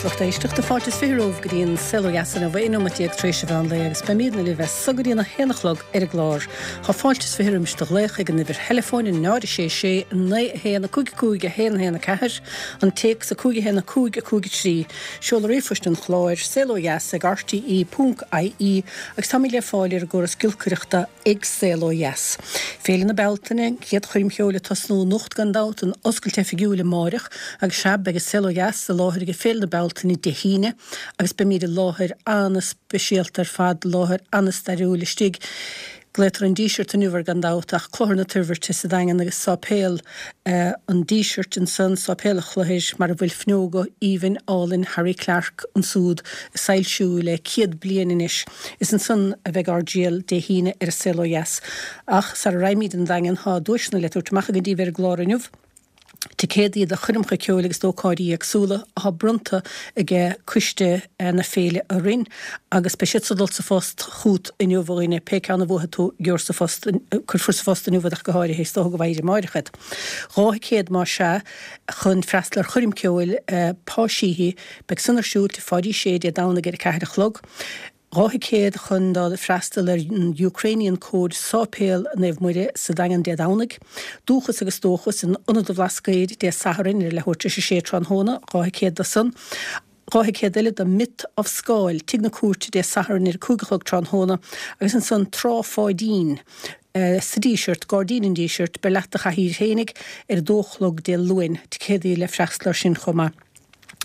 lucht éisteachta. Fáilte is 20 romhaibh go dtí an Saol Ó Dheas inniu, 11 nóimeat tar éis an mheán lae agus beimídne libh as so go dtí an 1 a chlog ar an gclár. Tá fáilte is 20 roimis do ghlaoch ag an uimhir theileafóin 0 6 6 9 1 5 5 1 1 4, an téacs 5 1 5 5 3, seoladh ríomhphoist an chláir, saolodheas ag rte ponc ie agus táimid le fáil ar an gcóras giolcaireachta ag Saol Ó Dheas. Féile na Bealtaine, an chéad choirm cheoil ag tosnú anocht gan dabht, an oscailt oifigiúil amáireach agus sea, beidh an Saol Ó Dheas i láthair ag Féile na Bealtaine Dé hAoine agus beimid i láthair ana-speisialta ar fad, láthair ana-stairiúil istigh. Glaotar an Díseart inniu air gan dabht ach Clochar na Toirbhirte sa Daingean agus Sáipéal an Dísirt ansan, Sáipéal an Chlochair mar a bhfuil fuinneoga aoibhinn álainn Harry Clarke ansúd ag soilsiú le 100 bliain anois. Is ansan a bheidh ár dtriall Dé hAoine ar an Saol Ó Dheas. Ach sara raghaimíd 'on Daingean thá duaiseanna le tabhairt amach againn daoibh ar an gclár inniu. Ticéadaí do choirmeacha ceoil agus d'ócáidí éagsúla athá bronnta age coiste na féile orainn agus beidh siad san ag dul sa phost chút inniu a dhuine, pé ceann a bhuafaidh tú gheobhair sa phost, cuirfear sa phost inniu iad ach go háirithe, is dócha go bhfaighir amáireach iad. 2 thicéad más ea chun freastal ar choirm ceoil Pa Sheehy, beidh san ar siúl Tigh Pháidí Sé Dé Domhnaigh ar a 4 a chlog. 2 thicéad chun dul freastal ar an Ukrainian Code Sáipéal Naomh Muire sa Daingean Dé Domhnaigh. Dúchas agus Dóchas in Ionad an Bhlascaoid Dé Sathairn ar leathuair tar éis a sé tráthnóna, 2 thicéad do san. 2 thicéad eile do Myth of Scáil, Tigh na Cúirte Dé Sathairn ar a 5 a chlog tráthnóna agus ansan Trá Pháidín sa Díseart, Gairdín an Dísirt, beir leat do chathaoir fhéinig, ar a dó a chlog Dé Luain. Ticéadaí le freastal ar sin chomh maith.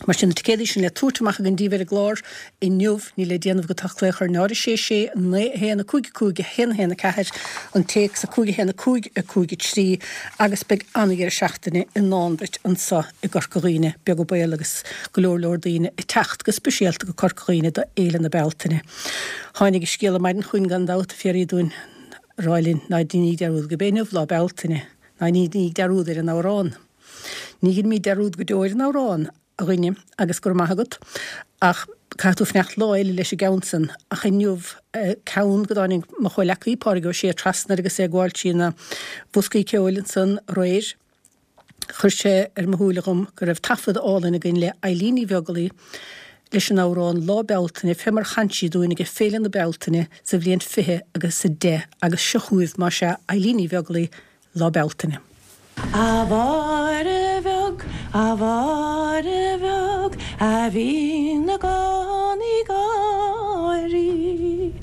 Mar sin, na ticéadaí sin le tabhairt amach againn daoibh ar an gclár inniu, níl le déanamh agat ach glaoch ar 0 6 6 9 1 5 5 1 1 4, an téacs 5 1 5 5 3, agus beidh an-dheireadh seachtaine i ndán duit anso i gCorca Dhuibhne, beag an baol agus go leor leor daoine ag teacht go speisialta go Corca Dhuibhne do Fhéile na Bealtaine. Tháinig an scéala maidin chugainn gan dabht a fiafraí dúinn a rá linn ná deiníg dearúd gurb é inniu Lá Bealtaine, ná ní deiníg dearúd ar an amhrán. Ní dheinimíd dearúd go deo ar an amhrán, a dhuine, agus go raibh maith agat, ach caithfidh tú fanacht lá eile leis an gceann san. Ach inniu, ceann go dtáinig mo chomhleacaí, Pádraig Ó Sé, trasna air agus é ag gabháil trí na boscaí ceoil ansan aréir, chuir sé ar mo shúile dhom go raibh taifead álainn againn le Eilín Ní Bheaglaoi leis an amhrán Lá Bealtaine fé mar chan sí dúinn age Féile na Bealtaine sa bhliain 20 agus 10 agus seo chugaibh, más ea, Eilín Ní Bheaglaoi, Lá Bealtaine. A Mháire bheag, a Mháire bheag, a bhíonn i gcónaí ag gáirí.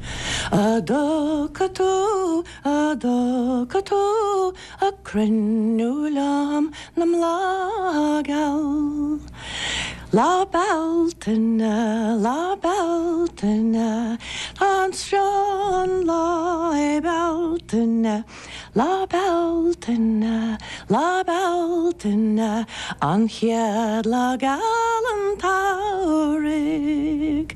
A dtiocfaidh tú, a dtiocfaidh tú a cruinniú liom na mbláth geal. Lá Bealtaine, Lá Bealtaine, tá an srón lá é Bealtaine. Lá Bealtaine, Lá Bealtaine, an chéad lá geal an tsamhraidh.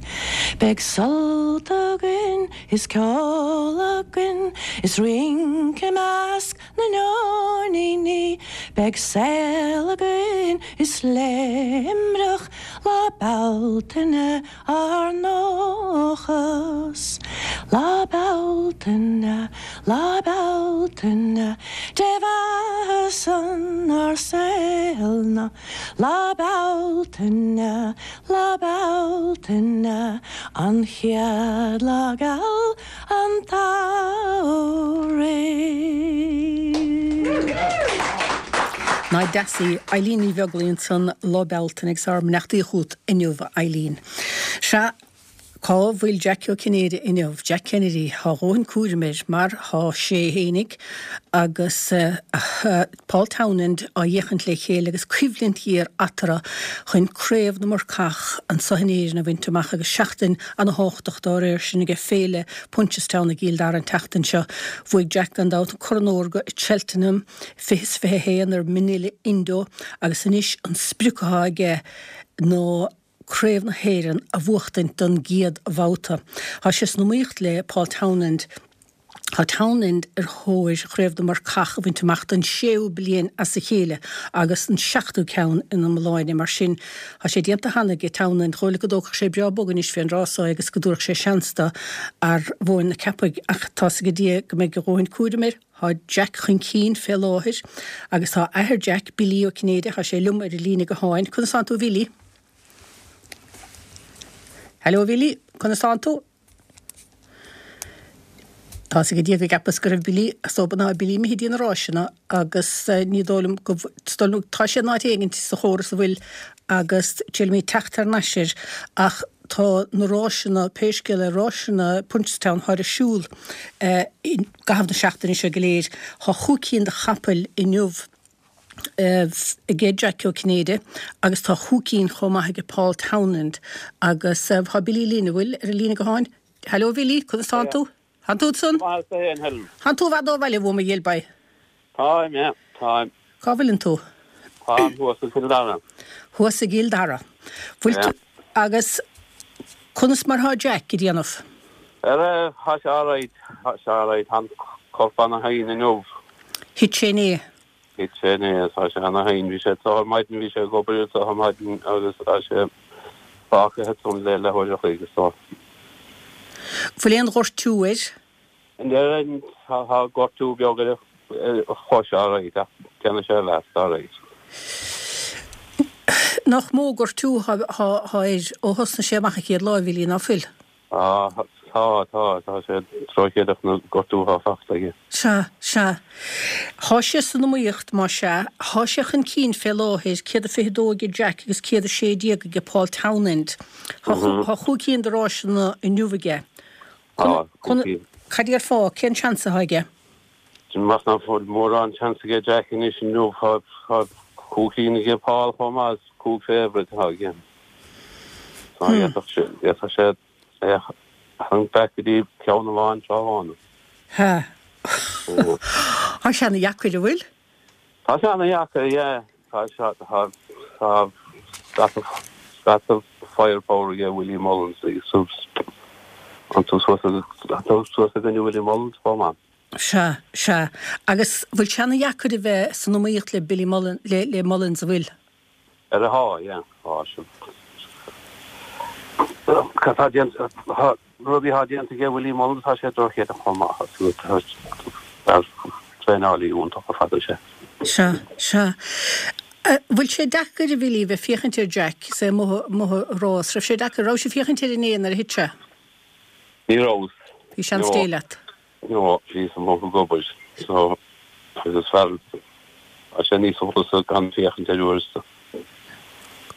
Beidh sult againn is ceol againn is rince i measc na nóiníní. Beidh saol againn is léimreach Lá Bealtaine ár ndóchas. Lá Bealtaine, Lá Bealtaine, Dé bheatha-san ár saol ná Lá Bealtaine, Lá Bealtaine, an chéad lá geal an tsamhraidh. Nach deas í Eilín Ní Bheaglaoi ansan Lá Bealtaine agus ár mbeannachtaí chugat inniu a Eilín. Sea, cá bhfuil Jack Ó Cinnéide inniu? Jack Kennedy, thá a dhóthain cúraim air mar thá sé fhéinig agus Paul Townend á fhéachaint le chéile agus coimhlint ghéar eatarthu chun Craobh na Murcach anso in Éirinn a bhaint amach agus seachtain ana-thábhachtach dá réir sin aige Féile Punchestown i gCill Dara an tseachtain seo. Bhuaigh Jack gan dabht an Corn Órga i Cheltenham 20 is 21 ar Minella Indo agus anois an sprioc atá aige ná Craobh na hÉireann a bhuachtaint don gcéad bhabhta. Tá sé san iomaíocht le Paul Townend. Tá Townend ar thóir Chraobh na Murcach a bhaint amach don séú bliain as a chéile agus an seachtú ceann ina iomláine. Mar sin, tá sé déanta cheana aige Townend. Dhóigh go dtógfadh sé breá bog anois fén rása é agus go dtabharfadh sé seans do fhear Mhóin na Ceapaigh ach tá's age Dia go mbeidh a dhóthain cúraim air. Tá Jack chun cinn fé láthair agus tá athair Jack, Billy Ó Cinnéide, tá sé liom ar an líne gutháin. Conas tánn tú a Bhilly? Hello a Bhilí, conas tánn tú? Tá's ag Dia go gceapas go raibh Bilí, is dóba ná Bilí imithe dtí na ráiseanna agus ní dóigh liom go, is dóigh liom, tá sé in áit éigint sa chóras a bhfuil agus triailfimid teacht thar n-ais air ach tá na ráiseanna, pé scéal é, ráiseanna Punchestown thá ar siúl i gcaitheamh na seachtaine seo go léir. Thá chúig cinn de chapaill inniu aige Jack Ó Cinnéide agus tá chúig cinn chomh maith aige Paul Townend agus tá Billy linn, an bhfuil, ar an líne gutháin. Hello Bhilly, conas tánn tú? Tánn tú ansan? Maith tú féin, Helen. Tánn tú i bhfad ó bhaile uaim a dhilbay. Táim, yeah, táim. Cá bhfuileann tú? Táim thuas i gCill Dara. Thuas i gCill Dara. Bhfuil tú, agus conas mar thá Jack ag déanamh? Ara, thá sé alright, thá sé alright, tá an corp ana-thinn inniu. Thit sé inné. Thit sé inné, tá sé ana-thinn. Bhí sé anseo ar maidin, bhí sé ag obair anseo ar maidin agus tá sé fágtha ansan le leathuair a chloig is dóigh. Bhfuil aon ghortú air? Níl, tá gortú beag ar a chois alright ach déanfaidh sé a bheas alright. Nach mó gortú thá air ó thosnaigh sé amach an chéad lá, a Bhilí, ná fuil? Tá, tá, tá, tá sé drochídeach na gortú atá fachta aige. Sea, sea. Thá sé san iomaíocht, más ea. Thá sé chun cinn fé láthair, 122 aige Jack agus 116 aige Paul Townend. Thá, thá chúig cinn de ráiseanna inniu aige. Tá, cúig cinn. Cad déarfá, cén seans athá aige? Déanaim amach ná fuil mórán seans aige Jack anois inniu, thá, thá cúig cinn aige Paul chomh maith, is cúig favourite athá aige. Tá d'fhéadfadh sé é a tharraingt back go dtí ceann amháin tráth amháin. Ha. Tá sé ana dheacair, an bhfuil? Tá sé ana dheacair, yeah. Tá sé, tá, tá scata, scata firepower aige Willie Mullins agus an tú suas, tú suas i gcoinne Willie Mullins chomh maith. Sea, sea. Agus bhfuil sé ana dheacair a bheith san iomaíocht le Billy Mullins, le, le Mullins, an bhfuil? Ar a thá, yeah, thá sin. Cad tá déanta, thá, rudaí thá déanta aige Willie Mullins, thá sé drochídeach chomh maith, fear traenálaí iontach ar fad é sé. Sea, sea. Bhfuil sé deacair, a Bhilly, bheith féachaint ar Jack is é amuigh, amuigh ag rás? Raibh sé deacair, raibh sibh féachaint air inné nuair a thit sé? Ní rabhas. Bhí seans Dé leat. No, bhíos amuigh ag obair, so agus fear, tá sé níos folasa gan féachaint air uaireanta.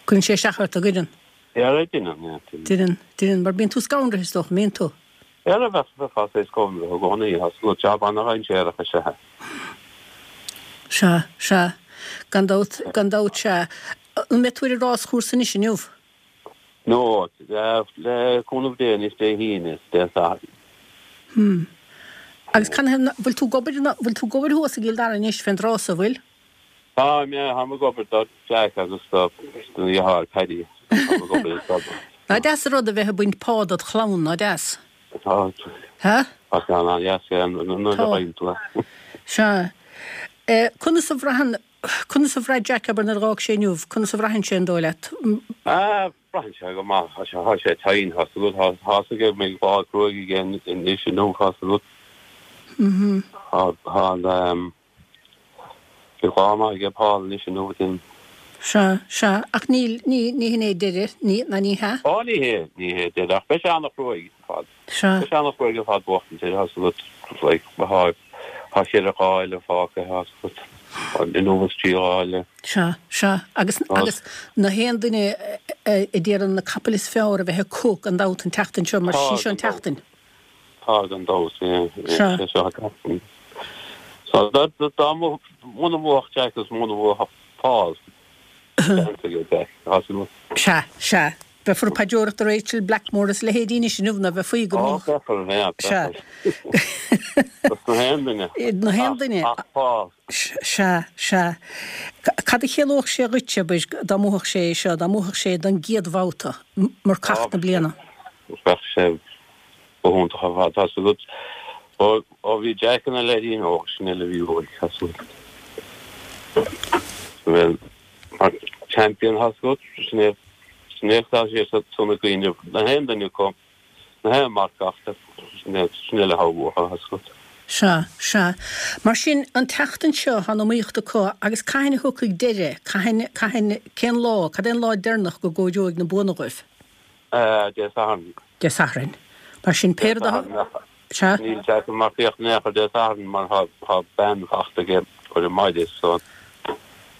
Cuireann sé isteach ort, an gcuireann? Yeah, deineann, yeah, deineann. Deineann, deineann, mar bíonn tú scanraithe is dócha, an mbíonn tú? Yeah, bheadh, bheifeá saghas scanraithe i gcónaí, tá súil, jab ana-dhainséarach is ea é. Sea, sea, gan dabht, gan dabht, sea. An mbeidh tú ar an ráschúrsa anois inniu? No, le cúnamh Dé anois Dé hAoine is Dé Sathairn. Hmm. Agus canathaobh ná, bhfuil tú ag obair, bhfuil tú ag obair thuas i gCill Dara anois fén dtráth so, bhfuil? Táim, yeah, táim ag obair do Jack agus do do dheartháir Paddy. Táim ag obair do. Ná deas an rud a bheith ag baint pá dod chlann, ná deas? Tá. Ha? Tá sé an-deas, yeah, nuair a fhaigheann tú é. Sea. Conas a bhraitheann, Conas a bhraith Jack, abair, nuair a dh'fhág sé inniu? Conas a bhraitheann sé, an dóigh leat? Ah, braitheann sé go maith. Tá sé, tá sé tinn, tá 's agat, tá, tá 's aige go mbeidh lá cruaidh aige anois inniu, tá 's agat. Tá, tá an, ehm, beidh lá maith aige Paul anois inniu, déarfainn. Sea, sea, ach níl, ní, ní hin é deireadh, ní, ná ní hea? Ó, ní hé, ní hé deireadh, ach beidh sé an-chruaidh ar fad. Sea. Beidh sé an-chruaidh ar fad buachtaint air, tá 's agat, like, tá, tá cheithre lá eile fágtha, tá 's agat, inniu is trí lá eile. Sea, sea. Agus, agus na haon duine a déarfainn na capaill is fearr a bheith acu gan dabht an tseachtain seo, mar sí seo an tseachtain. Tá, gan dabht, yeah, yeah, Sea. sé seo an tseachtain. So, dá, dá mbu, muna mbuafadh Jack is muna mbuafadh Paul, Sea, sea. Beifear ag paidreoireacht do Rachael Blackmore is a leithéidí anois inniu, ná bheifí go mbeadh. Ó, beifear, yeah, Sea. beifear. Dos na haon duine. Na haon duine. Ach Paul. Sea, sea. Cad a chiallódh sé dhuit, abair, dá mbuafadh sé é seo, dá mbuafadh sé don gcéad bhabhta, marcach na bliana? Bheadh sé go hiontach ar fad, tá 's agat. Ó bhí Jack ina leaidín óg, sin uile a bhí uaidh, tá 's agat. Bhuel, mar champion, tá 's agat, sin é, sin é atá sé sna cuimhne, na haon duine acu, na haon marcach, sin é, sin uile atá uathu, tá 's agat. Sea, sea. Mar sin, an tseachtain seo, tá an iomaíocht acu agus cathain a thiocfaidh deireadh, cathain, cathain, cén lá, cad é an lá deireanach go gcóireoidh na buanna dóibh? Dé Sathairn. Dé Sathairn. Mar sin, pé rud a. Sea. Níl Jack ag marcaíocht in aon chor Dé Sathairn mar tá bean fachta aige ar an maide so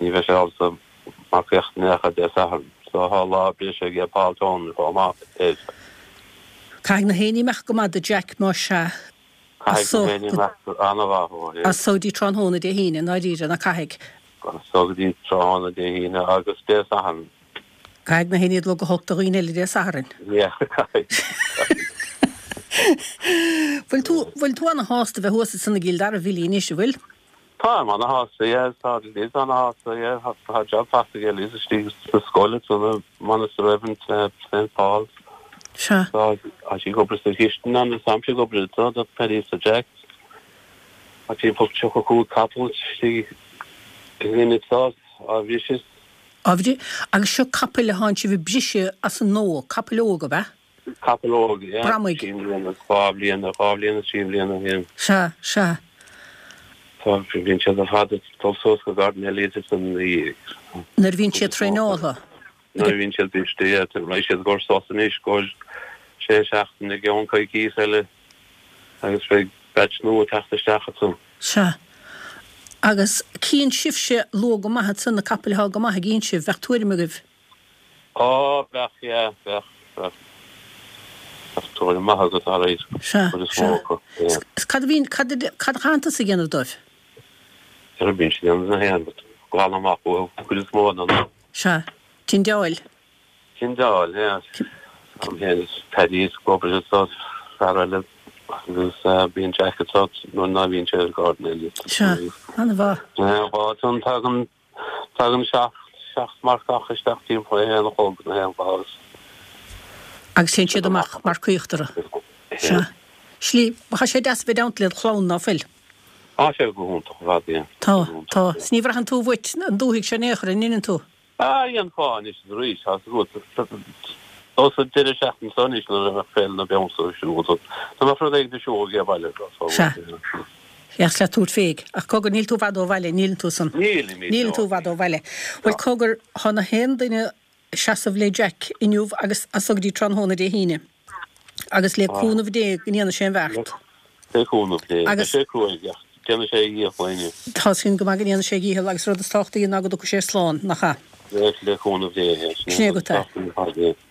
ní bheidh sé ábalta marcaíocht in aon chor Dé Sathairn. So tá lá breise aige Paul Toner chomh maith air. Caithfidh na héinne imeacht go maith do Jack más ea. Caithfidh na héinne imeacht an-mhaith dhó, yeah. As so dtí tráthnóna Dé hAoine, i ndáiríre, ná caithfidh? As so go dtí tráthnóna Dé hAoine agus Dé Sathairn. Caithfidh na héinne dul go holc do dhaoine eile Dé Sathairn. Yeah, caithfidh. Bhfuil tú, bhfuil tú ana-shásta bheith thuas ansan i gCill Dara, a Bhilí, anois, an bhfuil? Táim ana-shásta, yeah, tá Liz ana-shásta, yeah, tá job fachta aige Liz istigh sa scoil ansan i Monasterevin, St Paul's. Sea. Tá sí ag obair sa chistin ann, is táimse ag obair anso do Paddy is do Jack. Tá timpeall 35 capall istigh againn anso á bhriseadh. Á bhriseadh? Agus seo capaill a thánn sibh ag briseadh as an nua, capaill óga, ab ea? Capall óg, yeah. Bramaigh. Trí mbliana, dhá bhliana, dhá bhliain is trí mbliana, yeah. Sea, sea. Tá, bíonn siad ar fad ag dul suas go Gordon Elliott is an. Nuair a bhíonn siad traenáilte. Nuair a bhíonn siad briste, yeah. Beidh siad ag dul suas anois go sé seachtaine i gceann coicís eile agus beidh batch nua ag teacht isteach ansan. Sea. Agus cíonn sibhse luath go maith ansan na capaill atá go maith, an gcíonn sibh, bheadh tuairim agaibh. Á, bheadh, yeah, bheadh, bheadh. Bheadh tuairim maith agat, alright. Sea, Cuid is mó sea. acu, yeah. Is cad a bhíonn, cad a, cad a chaitheann tusa a dhéanamh dóibh? Céard a bhíonn siad a dhéanamh na haon rud, glanadh amach uathu, cuid is mó de na. Sea. Tindeáil. Tindeáil, yeah. Táim féin is Paddy ag obair anso, fear eile agus bíonn Jack anso nuair ná bhíonn sé ar Gordon Elliott. Sea, an-mhaith. Yeah, ansan tagann Tagann seacht marcach isteach timpeall a haon a chlog nó a haon agus. Agus téann siad amach marcaíocht orthu. Sea. Slí, tá sé deas a bheith i dteannta led chlann, ná fuil? Tá sé go hiontach ar fad, yeah. Tá, tá. 'S ní bhraitheann tú uait an dúthaigh seo in aon chor, an ndeineann tú? Ah, dhéanfá anois is arís, tá 's agat. Ó sa deireadh seachtaine seo anois nuair a bheadh Féile na Bealtaine ar siúl, dá mbeadh rud éigin ar siúl ag baile. Sea. Bheadh le tabhairt féig. Ach cogar, níl tú i bhfad ó bhaile, níleann tú san? Nílim, Níleann tú i bhfad ó bhaile. Bhuel, cogar, tá na haon duine ag seasamh le Jack inniu agus as so go dtí tráthnóna Dé hAoine. Agus le cúnamh Dé go ndéanfaidh sé an bheart. Le cúnamh Dé. Beidh sé cruaidh ach déanfaidh sé a dhícheall inniu. Tá sin go maith go ndéanfaidh sé a dhícheall agus rud is tábhachtaí ná go dtiocfaidh sé slán, nach ea? Le cúnamh Dé, é. Sin é agat é.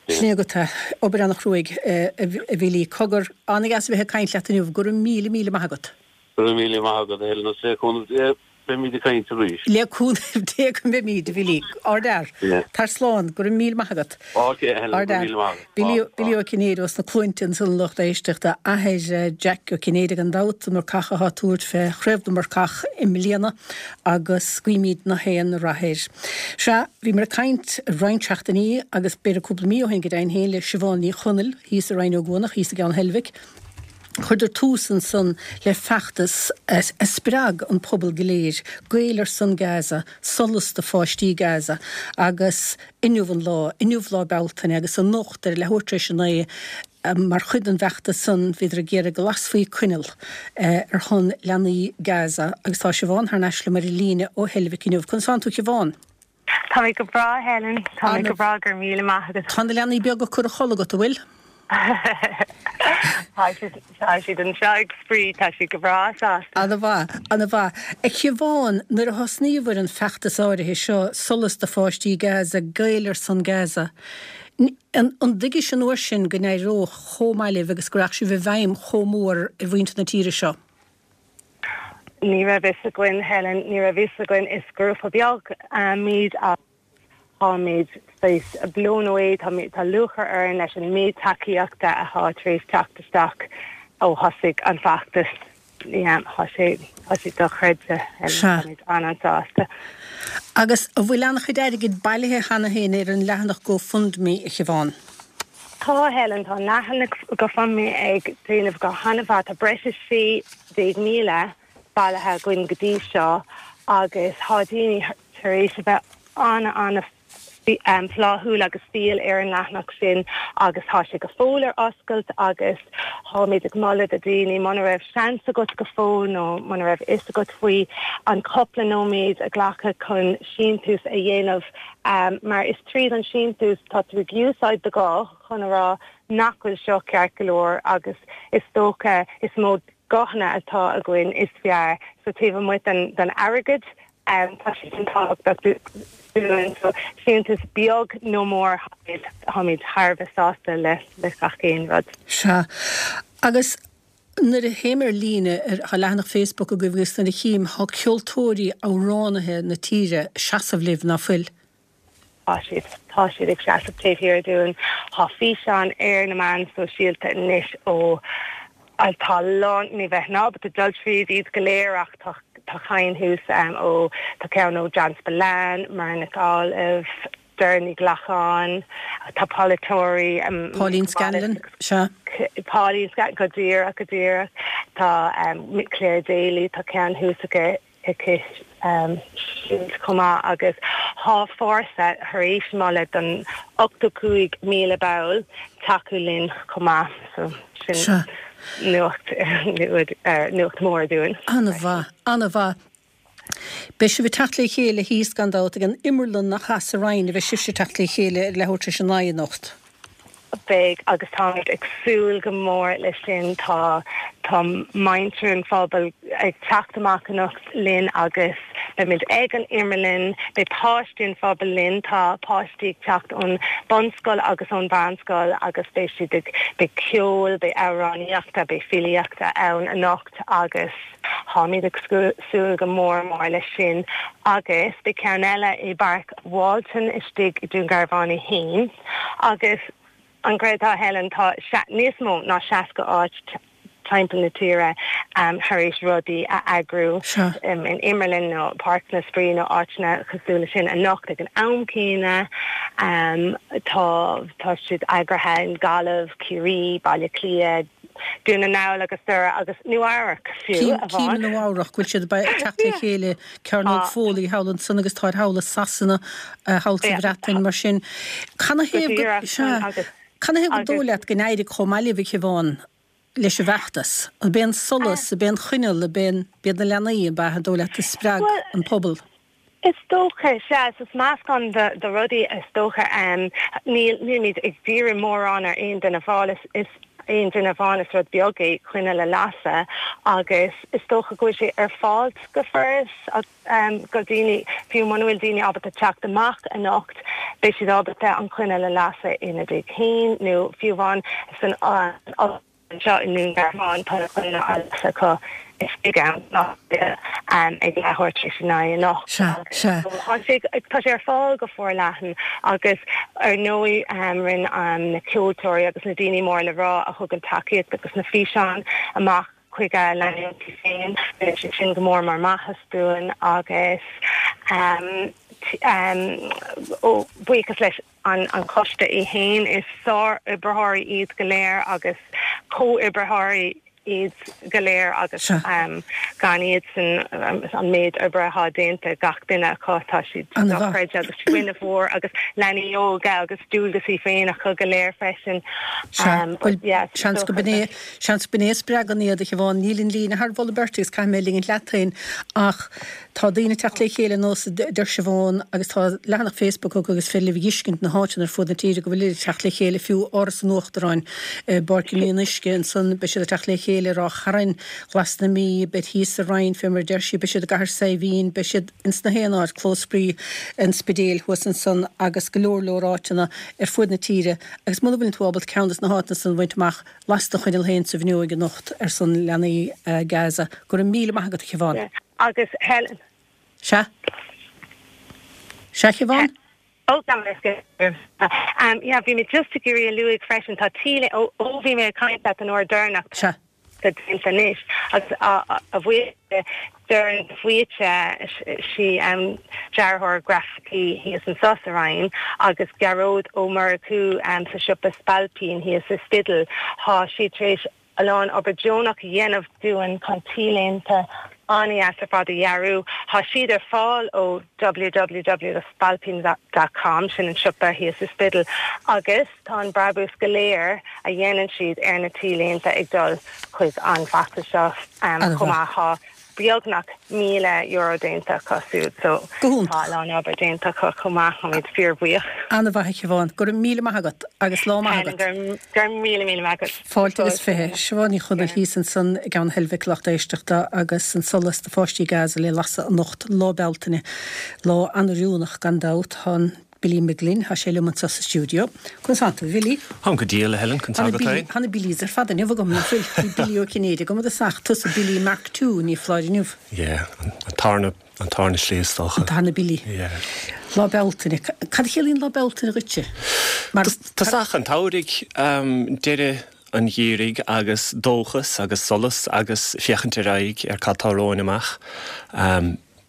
Sin é agat é. Obair an-chruaidh, a Bhilí. Cogar, an-dheas a bheith ag caint leat inniu. Go raibh míle, míle maith agat. Go raibh míle maith agat, a Helen, agus le cúnamh Dé beimid ag caint arís. Le cúnamh Dé go mbeimid, a Bhilí. Ardfhear. Tar slán. Go raibh míle maith agat. Ok, a Helen, go raibh míle maith agat. Bilí, Bilí Ó Cinnéide ós na Cluainte ansan a lucht éisteachta. Athair Jack Ó Cinnéide gan dabht, an marcach atá ag tabhairt fé Chraobh na Marcach i mbliana agus guímid na haon rath air. Sea, bhíomar ag caint roinnt seachtainí agus b'fhéidir cúpla mí ó shin go deimhin féin le Siobhán Ní Chonaill thíos i Rinn Ó gCuanach, thíos i gCeann Heilbhic. Chuireadar tús ansan le feachtas a spreag an pobal go léir, Gaeil ar son Gaza, Solas do pháistí Gaza, agus inniu an lá, inniu Lá Bealtaine agus anocht ar leathuair tar éis a naoi, mar chuid den bhfeachtas san, bhíodar ag iarraidh go lasfaí coinneal ar shon leanaí Gaza agus tá Siobhán thar n-ais liom ar an líne ó Heilbhic inniu. Conas tánn tú a Shiobhán? Tá mé go breá, Helen. Tá mé go breá, go raibh míle maith agat. Tá na leanaí beaga curtha a chodladh agat, an bhfuil? Tá siad, tá siad anseo ag spraoi, tá siad go breá sásta. Ana-mhaith, ana-mhaith. A Shiobhán, nuair a thosnaíobhair an feachtas áirithe seo, Solas do Pháistí Gaza, Gaeil ar son Gaza, an dtuigis an uair sin go n-éireodh chomh maith libh agus go rachadh sibh i bhfeidhm chomh mór ar mhuintir na tíre seo? Ní raibh fhios againn, Helen, ní raibh fhios againn. Is grúpa beag muid ach táimid saghas blown away, tá tá lúcháir orainn leis an méid tacaíochta atá tar éis teacht isteach ó thosaigh an feachtas. Yeah, tá sé, tá sé dochreidte, Helen, Sea. táimid an-an-sásta. Agus an bhfuil an-chuid airgid bailithe cheana féin ar an leathanach GoFundMe, a Shiobhán? Tá, Helen, tá an leathanach GoFundMe ag déanamh go han-mhaith. Tá breis is 16,000 bailithe againn go dtí seo agus tá daoine tar éis a bheith an-an-fhláithiúil agus fial ar an leathanach sin agus tá sé go fóill ar oscailt agus tá. Táimid ag moladh do daoine, muna raibh seans agat go fóill nó muna raibh fhios agat faoi, an cúpla nóiméad a ghlacadh chun síntiús a dhéanamh mar is tríd an síntiús tá tú ag úsáid do ghuth chun a rá nach bhfuil seo ceart go leor agus is dócha is mó guthanna atá againn is fearr so taobh amuigh den den airgead tá sé sin tábhachtach dúinn so síntiús beag nó mór táimid thar a bheith sásta le le gach aon rud. Sea. Agus nuair a théim ar líne, ar, tá leathanach Facebook agaibh agus nuair a chím, tá ceoltóirí, amhránaithe na tíre ag seasamh libh, ná fuil? Tá siad. Tá siad ag seasamh taobh thiar dúinn. Tá físeáin ar na meáin sóisialta anois ó tá a lán, ní bheinn ábalta dul tríd iad go léir ach tá tá cinn thuas ó, tá ceann ó John Spillane, Muireann Nic Amhlaoibh, Doireann Ní Ghlacáin, tá polaiteoirí, Pauline Scanlon, sea. Pauline Scanlon, go díreach, go díreach. Tá Clare Daly, tá ceann thuas aici. aici siúd chomh maith agus tá Fórsa tar éis moladh don 85,000 ball tacú linn chomh maith so sin nuacht nuacht mhór dúinn. An-mhaith, an-mhaith. Beidh sibh ag teacht le chéile thíos gan dabht ag an Imearlann nach ea sa Rinn a bheidh sibhse ag teacht le chéile ar leathuair tar éis a naoi anocht. Beidh, agus táimid ag súil go mór leis sin. Tá tá muintir an phobail ag teacht amach anocht linn agus beimid ag an Imearlann. Beidh páistí an phobail linn. Tá páistí ag teacht ón bunscoil agus ón mheánscoil agus beidh siad ag, beidh ceol, beidh amhránaíochta, beidh filíochta ann anocht agus táimid ag súil go mór mór leis sin. Agus beidh ceann eile i bPáirc Walton istigh i Dún Garbhán é féin. Agus an gcreidfeá, Helen, tá níos mó ná 60 áit timpeall na tíre tar éis rudaí a eagrú in imearlann nó Páirc na Spraoi nó áiteanna cosúil leis sin anocht ag an am céanna. Tá tá siad eagraithe in Gaillimh, Ciarraí, Baile Átha Cliath, Dún na nGall agus Doire agus Nua Eabhrac fiú amháin. Cím i Nua Eabhrac go bhfuil siad ag teacht le chéile, Cearnóg Foley thall ansan agus táid thall i Sasana, thall sa Bhreatain mar sin. Canathaobh go, sea, canathaobh gur dóigh leat go n-éirigh chomh maith libh, a Shiobhán, leis an bhfeachtas? Ab é an solas, ab é an choinneal, ab é an, b'iad na leanaí, ab ea, an dóigh leat, a spreag an pobal? Is dócha, sea. Is meascán de rudaí is dócha. Níl, nílimid ag díriú mórán ar aon duine amháin, is aon duine amháin, is rud beag é coinneal a lasadh agus is dócha go bhfuil sé ar fáil go furast do daoine, fiú muna bhfuil daoine ábalta teacht amach anocht, beidh siad ábalta an choinneal a lasadh ina dtigh féin nó fiú amháin san Anseo i nDún Garbhán tá na coinnle á lasadh acu istigh ann ag leathuair tar éis a naoi anocht. Sea, sea. Tá sé, tá sé ar fáil go forleathan agus ar ndóigh rinne na ceoltóirí agus na daoine mór le rá a thugann tacaíocht agus na físeáin amach chuig a leanúintí féin, rinne siad sin go mór mór maitheas dúinn agus ó buíochas leis an choiste é féin. Is sár-oibritheoirí iad go léir agus comhoibritheoirí iad go léir agus gan iadsan an méid oibre atá déanta ag gach duine acu tá siad dochreidte agus fuinneamh mhór agus leanaí óga agus dualgasaí féin acu go léir freisin. Sea, bhuel, seans go b'in é, seans go b'in é a spreagann iad, a Shiobhán. Níl an líne thar mholadh beirte agus caithfidh mé ligint leat féin ach Tá daoine ag teacht le chéile nós a deir Siobhán agus tá leathanach Facebook acu agus féidir libh a dh'fheiscint na háiteanna ar fud na tíre go bhfuilid ag teacht le chéile, fiú Áras an Uachtaráin i bPáirc an Fhionnuisce ansan, beidh siad ag teacht le chéile i Ráth Chairn, Glas na Mí, beid thíos sa Rinn fé mar a deir sí, beidh siad i gCathair Saidhbhín, beidh siad ins na haon áit, Clós Spraoi an Spidéil thuas ansan agus go leor leor áiteanna ar fuaid na tíre agus muna bhfuileann tú ábalta ceann des na háiteanna san a bhaint amach, Las do choinneal féin sa bhfuinneoig anocht ar son leanaí Gaza. Go raibh míle maith agat a Shiobhán. Agus Helen. Sea. Sea, Shiobhán? Ó, gabh mo leithscéal. Yeah, bhí mé just ag iarraidh a luaigh freisin, tá T-léinte, ó, ó bhí mé ag caint leat an uair deireanach, Sea. tá déanta anois agus a bhuíochas le Doireann de Faoite, sí dearthóir grafaicí thíos anso sa Rinn, agus Gearóid Ó Murchú sa siopa Spailpín thíos sa Spiddal, tá siad tar éis a lán obair deonach a dhéanamh dúinn chun T-léinte. An-dheas ar fad a dhearadh. Tá siad ar fáil ó www.spailpín.com, sin an siopa thíos sa Spiddal, agus tá an brabús go léir a dhéanann siad ar na T-léinte ag dul chuig an bhfeachtas seo chomh maith. Tá beagnach €1,000 déanta acu siúd so tá a lán obair déanta acu chomh maith. Táimid fíorbhuíoch. An-mhaith a Shiobhán. Go raibh míle maith agat agus lá maith agat. Go raibh míle míle maith agat. Fáilte agus 20. Siobhán Ní Chonaill thíos ansan i gCeann Heilbhic, lucht éisteachta, agus an solas do pháistí Gaza le lasadh anocht, Lá Bealtaine. Lá an-oiriúnach gan dabht. Tá an Billy McGlynn, tá sé liom anseo sa stiúideo. Conas tánn tú, a Bhilly? Táim go diail, a Helen, conas tá agat féin? Tá na Billys ar fad inniu agam, nach bhfuil? Bhí Billy Ó Cinnéide agam i dtosach, tusa Billy Mark Two, ní foláir inniu. Yeah, an tarna, an tarna slí is dócha. An tarna Billy. Yeah. Lá Bealtaine. Cad a chiallaíonn Lá Bealtaine dhuitse? Mar. Tosach an tsamhraidh, deireadh an gheimhridh agus dóchas agus solas agus féachaint ar aghaidh ar cad tá romhainn amach.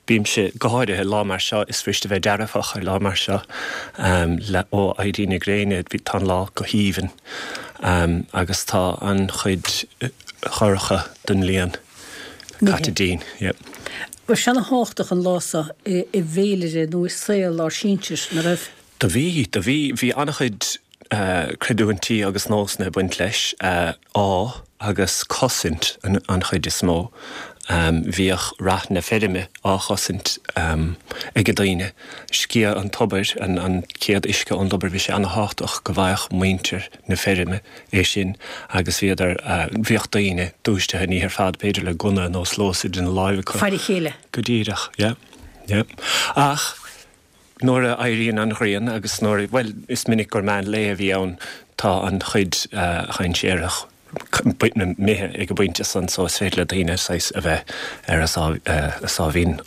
Bímse, go háirithe lá mar seo, is fuirist a bheith dearfach ar lá mar seo, le ó éirí na gréine, tá an lá go haoibhinn agus tá an chuid dhorcha den bhliain caite dínn. Yep. Bhí sé ana-thábhachtach an lá seo i bhféilire nó i saol ár sinsir, nach raibh? Do bhí, do bhí. Bhí an-chuid creidiúintí agus nósanna ag baint leis, ádh agus cosaint an chuid is mó. Bhíodh rath na feirme á chosaint ag daoine. Sciath an tobair, an chéad uisce ón dtobar, bhí sé an-thábhachtach go bhfaigheadh muintir na feirme é sin agus bhíodar, bhíodh daoine dúisithe an oíche ar fad, b'fhéidir le gunna nó sluasaid ina láimh acu. Faire a chéile. Go díreach, yeah, yeah. Ach. Nuair a éiríonn an ghrian agus nuair, bhuel, is minic gur meán lae a bhí ann, tá an chuid dhainséarach imithe ag an bpointe san so is féidir le daoine saghas a bheith ar a sáimhín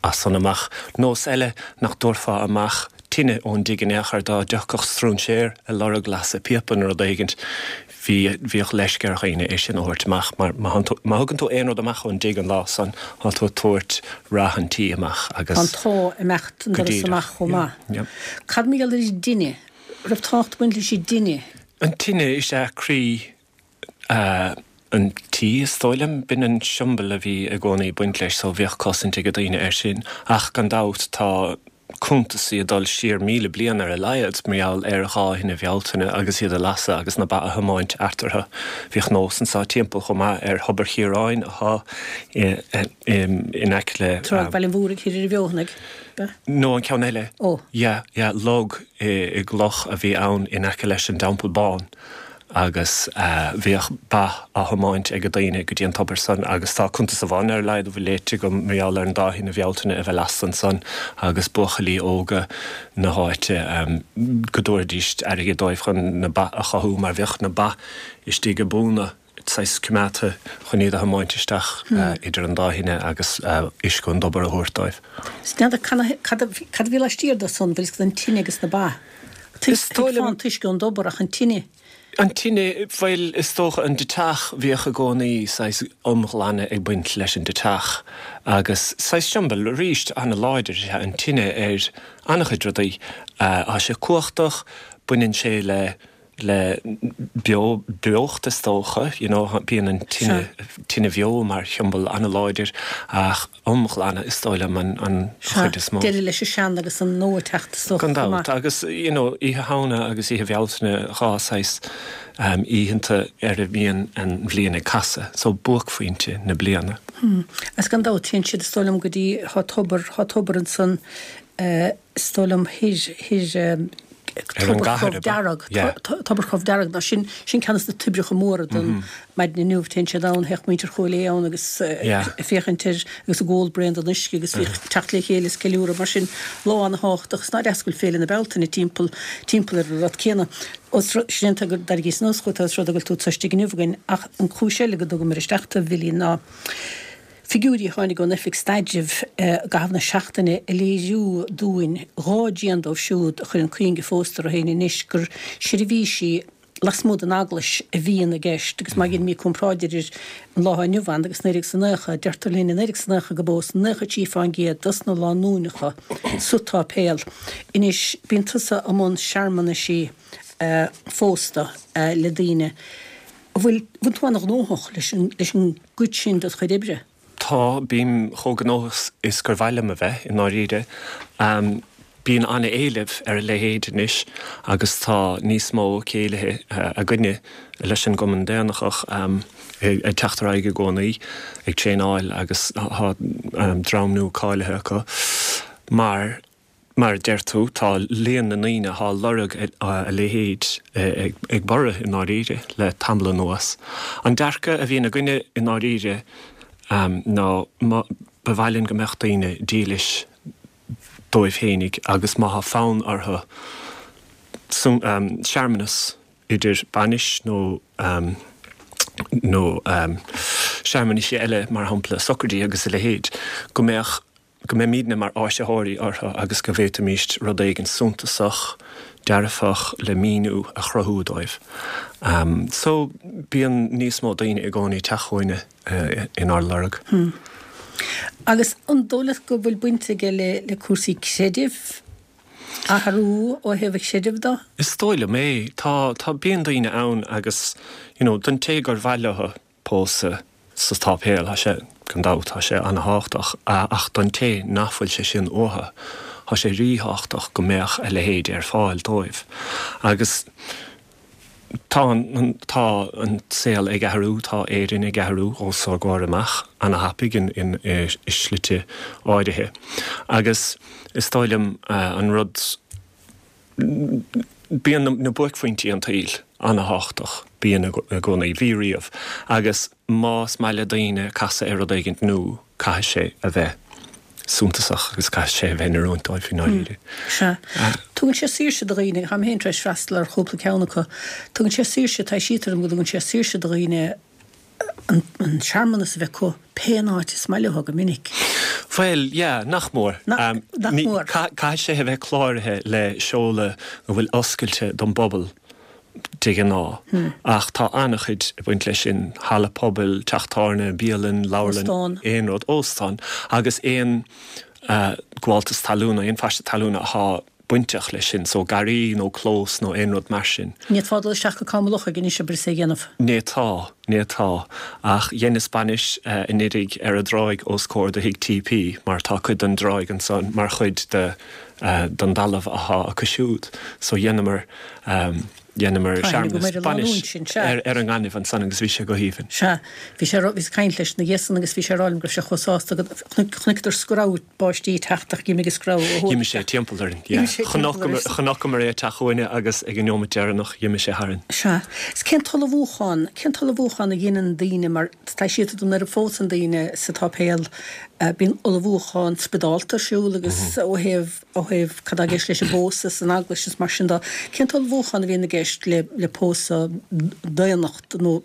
as san amach. Nós eile nach dtabharfá amach tine ón dtigh in aon chor dá dtiocfadh stróinséir ag lorg lasadh píopa nó rud éigint. Bhí, bhíodh leisce ar dhaoine é sin a thabhairt amach mar má thugann tú aon rud amach ón dtigh an lá san, tá tú ag tabhairt rath an tí amach agus. Tá an t-ádh ag imeacht an doras amach chomh maith. Cad mar gheall ar an dtine? Raibh tábhacht ag baint leis an dtine? An tine is ea croí an tí, is dóigh liom. B'in an siombail a bhí i gcónaí ag baint leis so bhíodh cosaint ag daoine air sin. Ach gan dabht tá cuntasaí ag dul siar 1,000 bliain ar a laghad mar gheall ar dhá thine Bhealtaine agus iad a lasadh agus na ba a thiomáint eatarthu. Bhíodh nós anso timpeall chomh maith ar Thobar Chiaráin atá in aice le. Tráigh Bhaile an Mhúraigh thoir ar an bhFeothanaigh, ab ea? No, an ceann eile. Ó. Yeah, yeah, log i gcloch a bhí ann in aice leis an dTeampall Bán. agus bhíodh ba á thiomáint ag daoine go dtí an tobar san agus tá cuntas amháin ar a laghad a bhfuil léite agam mar gheall ar an dá thine Bhealtaine a bheith lasta ansan agus buachaillí óga na háite go dtabharfaidís airgead dóibh chun na ba a chothú mar bhíodh na ba istigh i bpúnna saghas coimeádta chun iad a thiomáint isteach idir an dá thine agus uisce ón dtobar a thabhairt dóibh. N'fheadar cad a bhí laistiar de san, bhfuil fhios agat an tine agus na ba. Thuigfeá an t-uisce ón dtobar ach an tine. An tine, bhuel, is dócha an deiteach, bhíodh i gcónaí saghas iomghlanadh ag baint leis an deiteach agus saghas siombail arís an-láidir is ea an tine ar an-chuid rudaí. Tá sé cumhachtach, baineann sé le le beo, beocht is dócha, you know, bíonn an tine, tine bheo mar shiombail an-láidir ach iomghlanadh is dóigh liom an, an chuid is mó. Deireadh leis an sean agus an nua ag teacht is dócha Gan dabht, agus you know, Oíche Shamhna agus Oíche Bhealtaine, dhá saghas oícheanta ar a mbíonn an bhliain ag casadh, so buaicphointe na bliana. Hmm. Agus gan dabht téann siad is dóigh liom go dtí, thá tobar, thá tobar ansan eh, is dóigh liom thoir, thoir, Ar an Tobar gcathair, Chrobh ab ea? Dearg, Yeah. Tobar Chrobh Dearg, ná sin, sin ceann de na toibreacha móra don maidin inniu. Téann siad ann, théadh muintir Chúil Aodha ann agus Yeah. ag féachaint air agus ag ól braon den uisce agus bhíodh teacht le chéile is ceiliúradh mar sin. Lá ana-thábhachtach is ná deas go bhfuil Féile na Bealtaine timpeall, timpeall ar an rud céanna. Os rud, sin é go dtairgíos anuas chugat os rud é go bhfuil tú anseo istigh inniu againn ach an chúis eile go dtugamar isteach tú a Bhilí ná, Figiúirí a tháinig ón Oifig Staidrimh i gcaitheamh na seachtaine ag léiriú dúinn dhá dtrian dóibh siúd a chuireann cuinge phósta orthu féin anois gur seirbhísí lasmuigh den eaglais a bhíonn i gceist agus má dheinimid comparáid idir an lá inniu ann agus 1990, deirtear linn i 1990 go bpós 93% dos na lánúineacha sa tsáipéal. Anois, bíonn tusa i mbun searmanaisí phósta le daoine. An bhfuil, bhfuil tú an-ghnóthach leis an, leis an gcuid sin de do chuid oibre? Tá, bím chomh gnóthach is gur mhaith liom a bheith, i ndáiríre. Bíonn an-éileamh ar a leithéid anois agus tá níos mó céilithe againne leis an gCumann Daonlathach ag teacht ar aghaidh i gcónaí, ag traenáil agus tá dream nua cáilithe acu. Mar mar a deir tú, tá líon na ndaoine atá ag lorg a leithéid ag borradh i ndáiríre le tamall anuas. An dearcadh a bhíonn againne i ndáiríre ná ba mhaith linn go mbeadh daoine dílis dóibh fhéinig agus má thá fonn orthu searmanas idir bainis nó nó searmanaisí eile mar shampla socraidí agus a leithéid go mbeadh go mbeimídne mar áisitheoirí orthu agus go bhféadfaimíst rud éigin suntasach dearfach le míniú a chruthú dóibh. So bíonn níos mó daoine i gcónaí ag teacht chugainne inár lorg. Hmm. Agus an dóigh leat go bhfuil baint aige le le cúrsaí creidimh, athrú ó thaobh an chreidimh de? Is dóigh liom é. Tá, tá, bíonn daoine ann agus, you know, don té gur mhaith leo pósadh sa tsáipéal, tá sé, gan dabht, tá sé ana-thábhachtach, ach don té nach bhfuil sé sin uathu, tá sé ríthábhachtach go mbeadh a leithéid ar fáil dóibh. Agus Tá an, tá an saol ag athrú, tá Éirinn ag athrú os ár gcomhair amach, ana-thapaidh in, in, i slite áirithe. Agus is dóigh liom an rud, bíonn na buaicphointí an tsaoil ana-thábhachtach, bíonn i gcónaí, bhí riamh. Agus más maith le daoine casadh ar rud éigint nua, caithfidh sé a bheith suntasach agus caithfidh sé a bheith in oiriúint dóibh i ndáiríre. Sea. Tugann sé saoirse do dhaoine, táim féin tar éis freastal ar chúpla ceann acu, tugann sé saoirse, taibhsítear dom go dtugann sé saoirse do dhaoine an searmanas a bheith acu pé an áit is maith leo go minic. Bhuel, yeah, nach mór. Nach mór. Caithfidh sé a bheith cláraithe le seoladh a bhfuil oscailte don bpobal. de ghnáth, ach tá an-chuid ag baint leis sin, halla pobail, teach tábhairne, bialann, leabharlann, aon rud, óstán, agus aon ghabháltas talún, aon phaiste talún atá bainteach leis sin, so garraí nó clós nó aon rud mar sin. Ní fhéadfá dul isteach go Cam an Lochaigh anois abair is é a dhéanamh. Ní fhéadfá, ní fhéadfá. Ach dheineas bainis anuiridh ar an dtráigh os comhair do thigh TP mar tá cuid den dtráigh ansan mar chuid de den dtalamh athá acu siúd. So dheineamar Dheineamar searmanas bainis ar an ngaineamh ansan agus bhí sé go haoibhinn. Sea. Bhí sé, bhíos ag caint leis ina dhiaidh san agus bhí sé ag rá liom go raibh sé chomh sásta go, chonaiceadar screamh báistí ag teacht ach d'imigh an screamh ó thuaidh. D'imigh sé timpeall orainn, yeah. Chonaiceamar é ag teacht chugainne agus ag an neomat deireanach d'imigh sé tharainn. Sea. Is cén t-ullmhúchán, cén t-ullmhúchán a dheineann daoine mar taibhsítear dom nuair a phósann daoine sa tsáipéal bíonn ullmhúchán spioradálta ar siúl agus ó thaobh ó thaobh cad tá i gceist leis an bpósadh san eaglais is mar sin de. Cén t-ullmhúchán a bhíonn i gceist le le pósadh daonach nó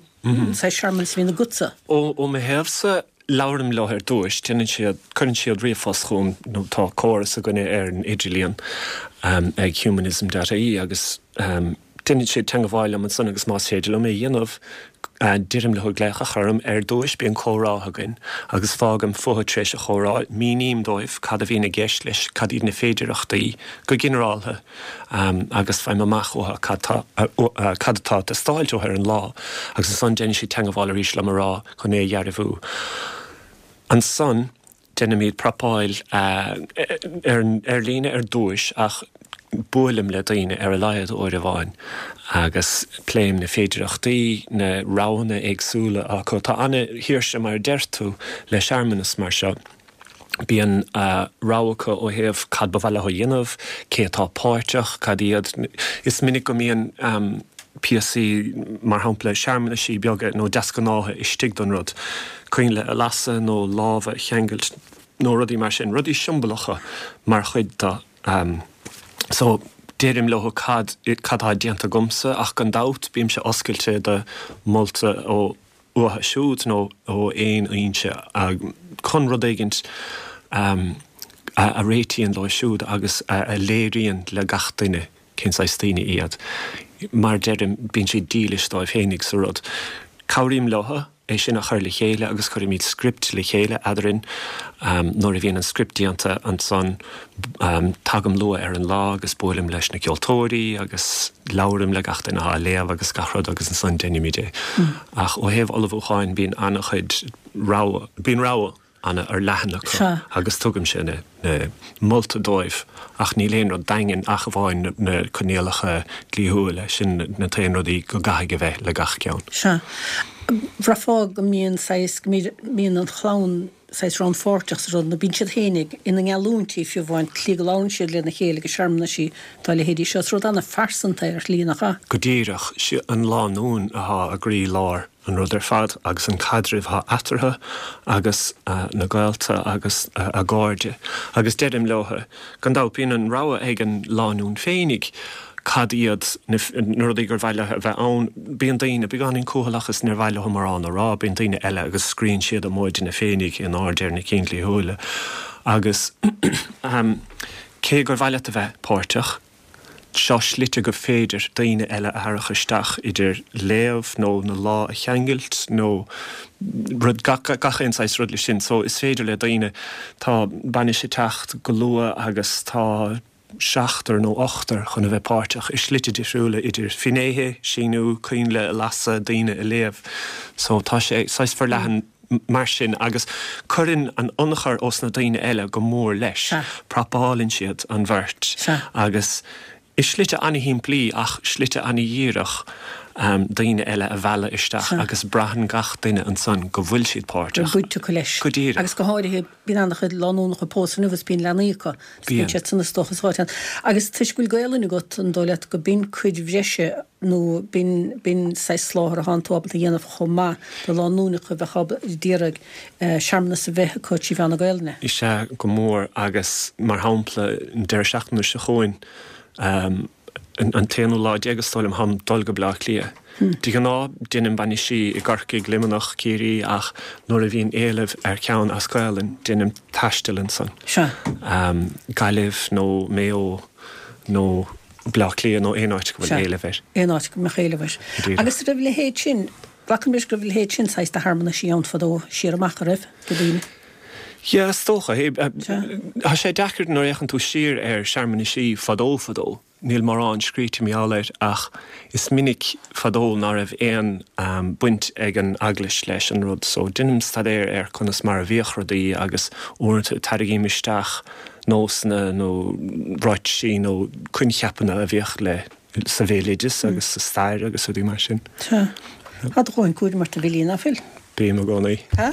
saghas searmanas a bhíonn agatsa? Ó mo thaobhsa, labhraím leo ar dtúis, déanann siad, cuireann siad ríomhphost chugam nó tá córas againne ar an idirlíon ag humanism dot ie agus Déanann siad teangabháil liom ansan agus más féidir liom é a dhéanamh, deirim leo glaoch a chur orm. Ar dtúis bíonn comhrá againn agus fágaim fúthu tar éis an chomhrá, míním dóibh cad a bhíonn i gceist leis, cad iad na féidireachtaí go ginearáltha agus faighim amach uathu cad tá cad atá ag teastáilt uathu ar an lá agus ansan déanann siad teangabháil arís liom a rá chun é a dhearbhú. Ansan. Déanaimid prapáil ar líne ar dtúis ach buailim le daoine ar a laghad uair amháin agus pléim na féidireachtaí, na roghanna éagsúla acu. Tá ana-shaoirse mar a deir tú le searmanas mar seo. Bíonn rogha acu ó thaobh cad ba mhaith leo a dhéanamh, cé atá páirteach, cad iad. Is minic go mbíonn píosaí, mar shampla searmanaisí beaga nó deasghnátha istigh don rud. coinnle a lasadh nó lámha a cheangailt nó rudaí mar sin, rudaí siombalacha mar chuid de. So, deirim leo cad cad atá déanta agamsa ach gan dabht bímse oscailte do mholta ó uathu siúd nó ó aon fhoinse chun rud éigint a réitíonn leo siúd agus a léiríonn le gach duine cén saghas daoine iad. Mar deirim, bíonn siad dílis dóibh féinig sa rud. Cabhraím leo. é sin a chur le chéile agus cuirimid script le chéile eadrainn. Nuair a bhíonn an script déanta ansan tagaim luath ar an lá agus buailim leis na ceoltóirí agus labhraím le gach duine atá ag léamh agus gach rud agus ansan deinimid é. Ach ó thaobh ullmhúcháin bíonn an-chuid rogha, bíonn rogha. an-fhorleathan acu agus tugaimse na molta dóibh ach níl aon rud daingean ach amháin na coinníollacha dlíthiúla, sin na t-aon rudaí go gcaithfidh a bheith le gach ceann. Sea. Bhraithfeá go mbíonn saghas, go mbíonn an chlann saghas rannpháirteach sa rud, nó bíonn siad féinig ina ngeallúintí fiú amháin, tslí go labhrann siad lena chéile ag searmanaisí dá leithéidí seo. Is rud an-phearsanta é ar shlí, nach ea? Go díreach. Sí an lánúin atá i gcroí lár an rud ar fad agus an caidreamh atá eatarthu agus na gaolta agus a gcairde. Agus deirim leotha, gan dabht, bíonn an rogha ag an lánúin féinig cad iad na rudaí gur mhaith leo a bheith ann. Bíonn daoine beagáinín cúthaileach is níor mhaith leo mórán a rá, bíonn daoine eile agus scríonn siad a móideanna féinig in airde ar na cinn dhlíthiúla. Agus cé gur mhaith leat a bheith páirteach, Seo slite gur féidir daoine eile a tharrac isteach, idir léamh nó na lámha a cheangailt nó rud, gach aon saghas rud leis sin. So is féidir le daoine, tá bainis ag teacht go luath agus tá seachtar nó ochtar chun a bheith páirteach i slite difriúla, idir finnéithe, síniú, coinnle a lasadh, daoine a léamh. So tá sé saghas forleathan. mar sin agus cuireann an ionchur ós na daoine eile go mór leis. Prapálann siad an bheirt agus i slite ana-shimplí ach slite ana-dhíreach daoine eile a mhealladh isteach agus braitheann gach duine ansan go bhfuil siad páirteach. Bhfuil baint acu leis. Go díreach. Agus go háirithe bíonn ana-chuid lánúnacha pósta inniu is bíonn leanaí acu. Is bíonn siad san is dócha sa áit ann. Agus toisc go bhfuil Gaolainn agat an dóigh leat go b'in cuid bhreise nó b'in, b'in saghas soláthar atánn tú ábalta a dhéanamh chomh maith do lánúineacha a bheadh ábalta, d'iarraidh searmanas a bheith acu trí mheán na Gaolainne. Is ea, go mór, agus mar shampla, an deireadh seachtaine seo chugainn, an t-aonú lá déag is dóigh liom, táim ag dul go Bleá Cliath. De ghnáth, deinim bainisí i gCorcaigh, Luimneach, Ciarraí, ach nuair a bhíonn éileamh ar cheann as Gaolainn, deinim taisteal ansan. Sea. Gaillimh nó Maigh Eo nó. Bleá Cliath nó aon áit go bhfuil éileamh air. Aon áit go mbeadh éileamh air. Agus an raibh a leithéid sin, glacaim leis go raibh a leithéid sin saghas de shearmanaisí ann fadó, siar amach, a raibh, do daoine? Yeah, is dócha. Tá sé deacair nuair a fhéachann tú siar ar shearmanaisí fadó fadó, níl mórán scríte mar gheall air ach is minic fadó ná raibh aon baint ag an eaglais leis an rud so deinim staidéar ar conas mar a bhíodh rudaí agus uaireanta tarraingím isteach nósanna nó ráitisí nó coincheapanna a bhíodh le sa bhéaloideas agus sa stair agus rudaí mar sin. Tá. Tá do dhóthain cúraim ort a Bhillí, ná fuil? Bím i gcónaí. Tá?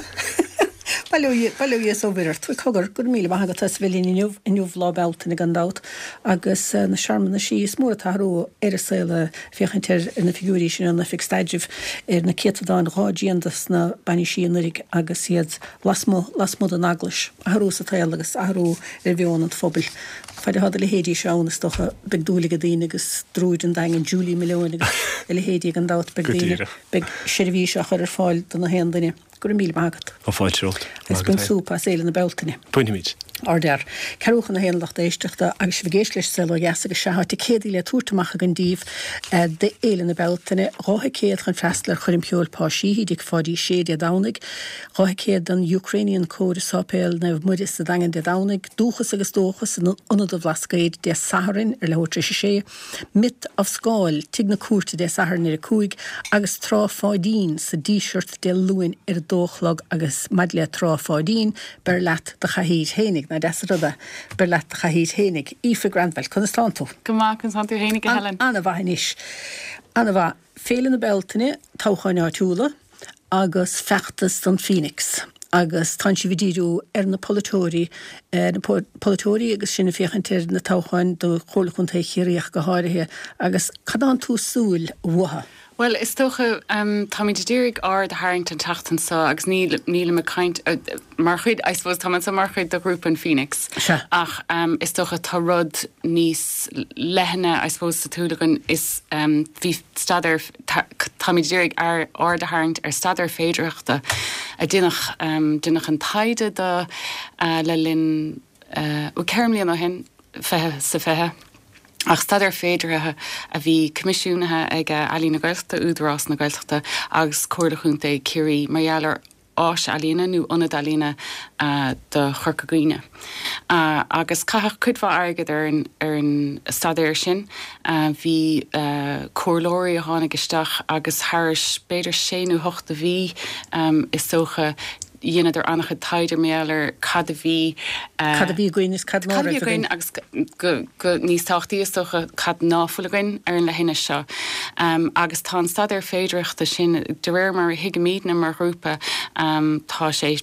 Bail ó Dhia, bail ó Dhia is ó Mhuire ort. Cogar, go raibh míle maith agat as a bheith linn inniu, inniu Lá Bealtaine gan dabht, agus na searmanaisí is mór an t-athrú ar an saol ag féachaint ar na figiúirí sin ón Oifig Staidrimh ar na céatadáin dhá dtrian dos na bainisí anuraidh agus iad lasmuigh, lasmuigh den eaglais. Athrú sa tsaol agus athrú ar mheon an phobail. Fad atá do leithéidí seo ann, is dócha, beidh dúil ag daoine agus druid an Daingin, Julie Malone agus a leithéidí gan dabht, beidh daoine, beidh seirbhís á chur ar fáil do na haon duine. Go raibh míle maith agat. Tá fáilte romhat. Agus bain súp as Fhéile na Bealtaine. Bainfimid. Ardfhear. Ceathrú chun a haon lucht éisteachta agus sibh ag éisteacht leis Saol Ó Dheas agus sea tá ticéadaí le tabhairt amach againn daoibh d'Fhéile na Bealtaine, 2 thicéad chun freastal ar choirm cheoil Pa Sheehy i dTigh Pháidí Sé Dé Domhnaigh, 2 thicéad don Ukrainian Choir i Sáipéal Naomh Muire sa Daingean Dé Domhnaigh, Dúchas agus Dóchas in Ionad an Bhlascaoid Dé Sathairn ar leathuair tar éis a sé, Myth of Scáil, Tigh na Cúirte Dé Sathairn ar a 5 agus Trá Pháidín sa Díseart Dé Luain ar a dó a chlog agus maidir le Trá Pháidín, beir leat do chathaoir fhéinig, nach deas an rud é, beir leat do chathaoir fhéinig. Aoife Granville, conas tánn tú? Go maith, conas tánn tú fhéinig, a Helen? An-mhaith anois. An-mhaith. Féile na Bealtaine, toghcháin áitiúla. agus feachtas don Phoenix agus tánn sibh ag díriú ar na polaiteoirí, ar na polaiteoirí agus sinn ag féachaint ar na toghcháin do Chomhairle Chontae Chiarraí ach go háirithe agus cad tánn tú ag súil uathu? Bhuel, is dócha, táimid ag iarraidh aird a tharraingt an tseachtain seo agus níl, nílim ag caint, mar chuid, I suppose, táim anseo mar chuid de ghrúpa an Phoenix Sea. ach is dócha tá rud níos leithne, I suppose, sa tsúil againn, is bhí staidéar, Táimid ag iarraidh aird a tharraingt ar staidéar féidearthachta a deineadh, deineadh an taighde do le linn, bhuel, 4 mbliana ó shin, 20 sa 20, ach staidéar féideartha a bhí coimisiúnaithe ag Ealaín na Gaeltachta, Údarás na Gaeltachta agus Comhairle Chontae Chiarraí mar gheall ar áis ealaíne nó ionad ealaíne do Chorca Dhuibhne. Agus caitheadh cuid mhaith airgid ar an ar an staidéar sin. Bhí comhairleoirí a tháinig isteach agus thairis b'fhéidir sé nó hocht de mhí is dócha. Dheineadar an-chuid taighde mar gheall ar cad a bhí. Cad a bhí againn is cad ná raibh againn. Agus go níos tábhachtaí is dócha cad ná fuil againn ar an leithinis seo. Agus tá an staidéar féidearthachta sin, de réir mar a thuigimidne mar ghrúpa, tá sé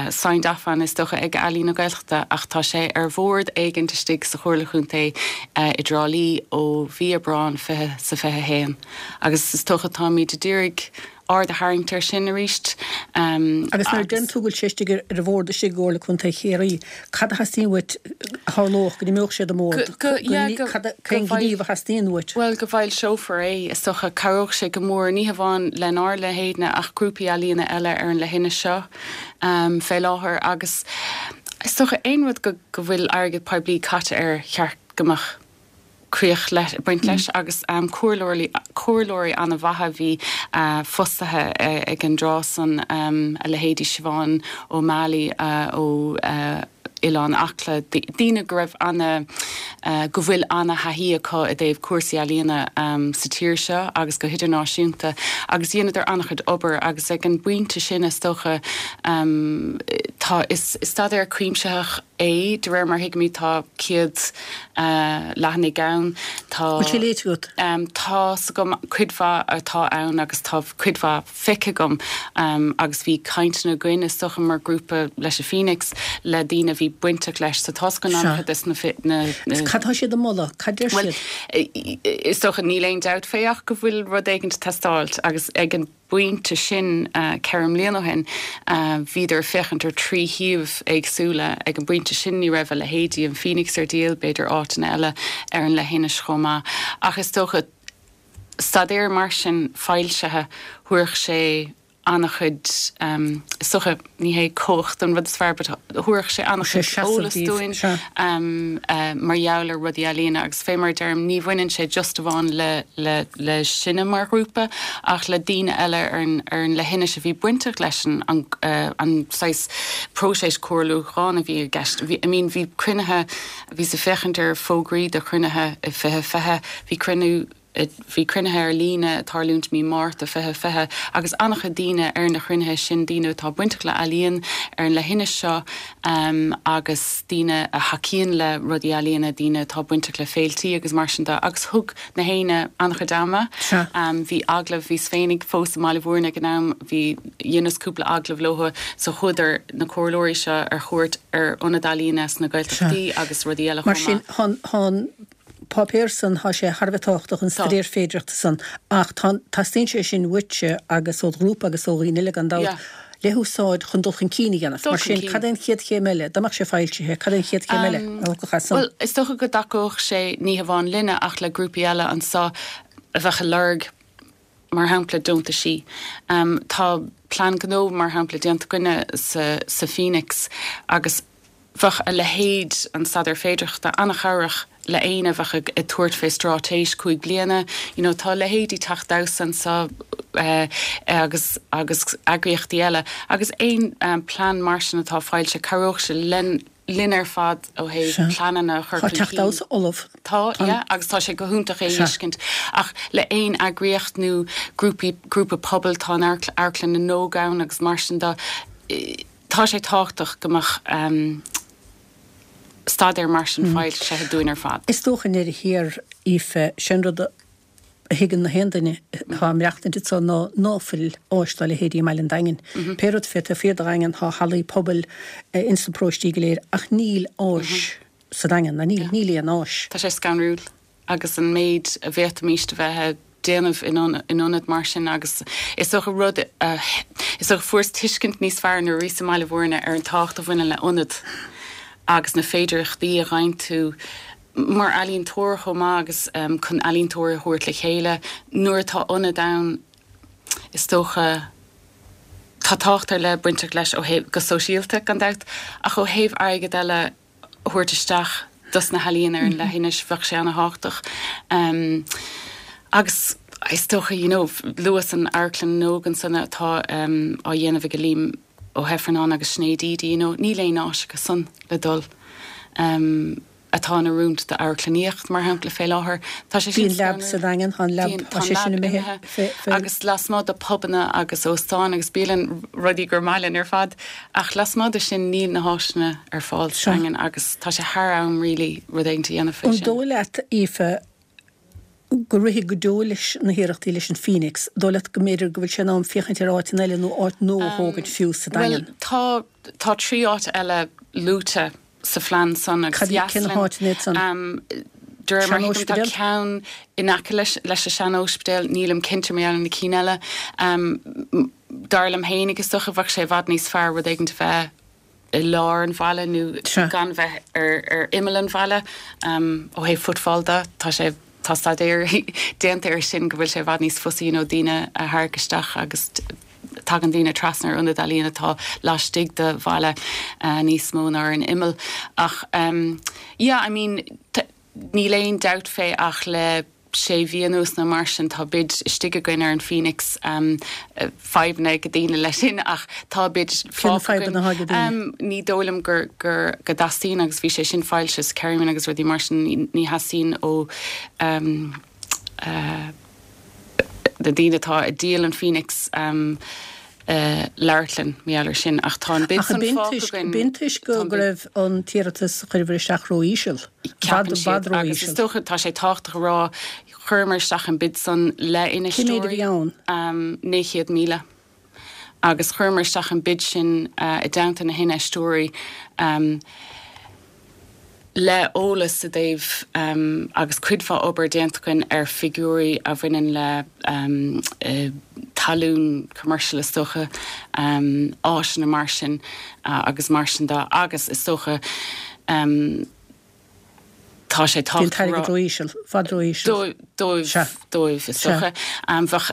signed off on is dócha ag Ealaín na Gaeltachta ach tá sé ar bhord éigint istigh sa Chomhairle Chontae i dTrá Lí ó mhí Aibreán 20 sa 21 agus is dócha táimid a d'iarraidh aird a tharraingt air sin arís. Agus nuair a deireann tú go bhfuil sé istigh ar an bhord istigh i gComhairle Contae Chiarraí, cad a theastaíonn uait a tharlódh go n-imeodh sé den mbord? Cén gníomh a theastaíonn uait? Bhuel, go bhfoilseofar é, is dócha. Cabhródh sé go mór, ní hamháin lenár leithéidne ach grúpaí ealaíona eile ar an leithinis seo fé láthair agus is dócha aon rud go bhfuil airgead poiblí caite air, cheart go mbeadh críoch le baint leis agus comhairleoirí, comhairleoirí an-mhaithe a bhí fostaithe ag an dtráth san, a leithéidí Siobhán O'Malley ó Oileán Acla, daoine go raibh ana, go bhfuil ana-thaithí acu i dtaobh cúrsaí ealaíona sa tír seo agus go hidirnáisiúnta agus dheineadar an-chuid obair agus ag an bpointe sin is dócha tá, is staidéar cuimsitheach é, de réir mar a thuigimid tá 100 leathanaigh ann. Tá. Bhfuil sé léite agat? Tá's agam cuid mhaith atá ann agus tá cuid mhaith feicthe agam agus bhí cainteanna againn is dócha mar grúpa leis an Phoenix le daoine a bhí bainteach leis so tá's againn an-chuid des na. Cad tá siad a moladh? Cad deir siad? Bhuel, is dócha níl aon dabht fé ach go bhfuil rud éigint ag teastáilt agus ag an. bpointe sin, 4 mbliana ó shin, bhíodar ag féachaint ar thrí shuíomh éagsúla. Ag an bpointe sin ní raibh a leithéidí an Phoenix ar díol, b'fhéidir áiteanna eile ar an leithinis chomh maith. Ach is dócha, staidéar mar sin foilsithe, thabharfadh sé an-chuid, is dócha, ní hé cumhacht an rud is fearr but thabharfadh sé an-chuid eolas dúinn mar gheall ar rudaí ealaíona agus fé mar a deirim ní bhaineann sé just amháin le le le sinne mar ghrúpa ach le daoine eile ar an ar an leithinis a bhí bainteach leis an an an saghas próiseas comhairliúcháin a bhí i gceist. Bhí I mean bhí cruinnithe bhíos ag féachaint ar fógraí do chruinnithe i 2020 bhí cruinniú Bhí cruinnithe ar líne ag tarlúint mí Márta 2020 agus an-chuid daoine ar na cruinnithe sin, daoine atá bainteach le ealaíon ar an leithinis seo agus daoine a thacaíonn le rudaí ealaíona, daoine atá bainteach le féiltí agus mar sin de agus thug na héinne an-chuid ama. Bhí agallamh, bhíos féinig fós i mBaile Mhúirne ag an am, bhí, dheineas cúpla agallamh leo so chuadar na comhairleoirí seo ar chuairt ar ionaid ealaíona sna Gaeltachtaí agus rudaí eile chomh maith. Mar sin, tá an páipéar san, tá sé thar a bheith tábhachtach, an staidéar féidearthachta san, ach tá, teastaíonn sé sin uaitse agus ó do ghrúpa agus ó dhaoine eile gan dabht, le húsáid chun dul chun cinn a dhéanamh. Mar sin, cad é an chéad chéim eile? Dá mbeadh sé foilsithe, cad é an chéad chéim eile a thiocfadh as san? Bhuel, is dócha go dtacódh sé ní hamháin linne ach le grúpaí eile anso a bheadh ag lorg, mar shampla, deontaisí. Tá plean gnó, mar shampla, déanta againne sa Phoenix agus bheadh a leithéid, an staidéar féidearthachta, an-chabhrach le éinne a bheadh ag tabhairt fé straitéis 5 bliana. You know, tá leithéidí Teach Damhsa anso agus agus eagraíochtaí eile agus aon plean mar sin atá foilsithe, cabhródh sé len linn ar fad ó thaobh pleananna a chur chun cinn. Tá Teach Damhsa ullamh. Tá, yeah, agus tá sé go hiontach é a fheiscint. Ach le aon eagraíocht nó grúpaí, grúpa pobail, tá an Amharclann na nÓg ann agus mar sin de, tá sé tábhachtach go mbeadh staidéar mar sin foilsithe dúinn ar fad. Is dócha i ndeireadh thiar, Aoife, sé an rud a thuigeann na haon duine atá ag maireachtaint anso ná ná fuil áis dá leithéidí i mbaile an Daingin. Pé rud fé taobh thiar de Dhaingean tá hallaí pobail ins na paróistí go léir ach níl áis sa Daingean, ná níl, níl aon áis. Tá sé scanrúil agus an méid a bhféadfaimíst a bheith a déanamh in ionad mar sin agus is dócha rud a, is dócha fuaireas tuiscint níos fearr nuair a bhíos i mBaile Mhúirne ar an tábhacht a bhaineann le ionad agus na féidearthachtaí a fhaigheann tú mar ealaíontóir chomh maith agus chun ealaíontóirí a thabhairt le chéile nuair atá ionad ann is dócha tá tábhacht ar leith bainteach leis ó thaobh go sóisialta gan dabht ach ó thaobh airgead eile a thabhairt isteach dos na healaíona ar an leithinis bheadh sé ana-thábhachtach agus is dócha you know luas an Amharclann na nÓg ansan atá á dhéanamh ag Liam Ó hIfearnáin agus Sinéad Eady you know níl aon áis acu san le dul. atá in oiriúint d'amharclannaíocht, mar shampla, fé láthair. Tá sé sin. Bhí an Lab sa Daingean, tá an Lab, tá sé sin imithe. Agus lasmuigh de pubanna agus óstáin agus bialann, rudaí gur maith linn ar fad, ach lasmuigh de sin níl na háiseanna ar fáil sa Daingean agus tá sé thar am really rud éigin a dhéanamh fé sin. An dóigh leat, Aoife, go rithfidh go deo leis na hiarrachtaí leis an Phoenix? Dóigh leat go mb'fhéidir go bhfuil sé in am féachaint ar áiteanna eile nó áit nua a thógaint fiú sa Daingean? Bhuel, tá, tá 3 áit eile luaite sa phlean san agus Cad, cé na háiteanna iad san? De réir mar a thuigim tá ceann in aice leis, leis an sean-óispidéal, nílim cinnte mar gheall ar na cinn eile. Dar liom fhéinig is dócha bheadh sé i bhfad níos fearr rud éigin a bheith i lár an bhaile nó gan bheith ar imeall an bhaile. Ó thaobh footfall de, tá sé, tá staidéar déanta air sin go bhfuil sé i bhfad níos fusa you know daoine a tharrac isteach agus tagann daoine trasna ar ionad ealaíon atá laistigh de bhaile níos mó ná ar an imeall. Ach yeah, I mean, níl aon dabht fé ach le sé mhí anuas nó mar sin tá bid istigh againn ar an Phoenix, fadhbanna ag daoine leis sin ach tá bid fágtha againn. Ní dóigh liom gur, gur, go dteastaíonn agus bhí sé sin foilsithe sa Kerryman agus rudaí mar sin, ní theastaíonn ó na daoine atá ag díol an Phoenix labhairt linn mar gheall air sin ach tá an bid san fágtha againn. Ach b'in toisc go raibh an t-iarratas a chuireabhair isteach ró-íseal, i bhfad i bhfad ró-íseal. Agus is dócha tá sé tábhachtach a rá, chuireamar isteach an bid san le infheisteoirí. Cé mhéad a bhí ann? 900,000. Agus chuireamar isteach an bid sin i dteannta na hinfheisteoirí. Le eolas i dtaobh agus cuid mhaith obair déanta againn ar figiúirí a bhaineann le talún commercial is dócha, áiseanna mar sin agus mar sin de agus is dócha tá sé tábhachtach. Bhí an t-airgead ró-íseal, i bhfad ró-íseal. Dóibh, dóibh is dócha. Bheadh,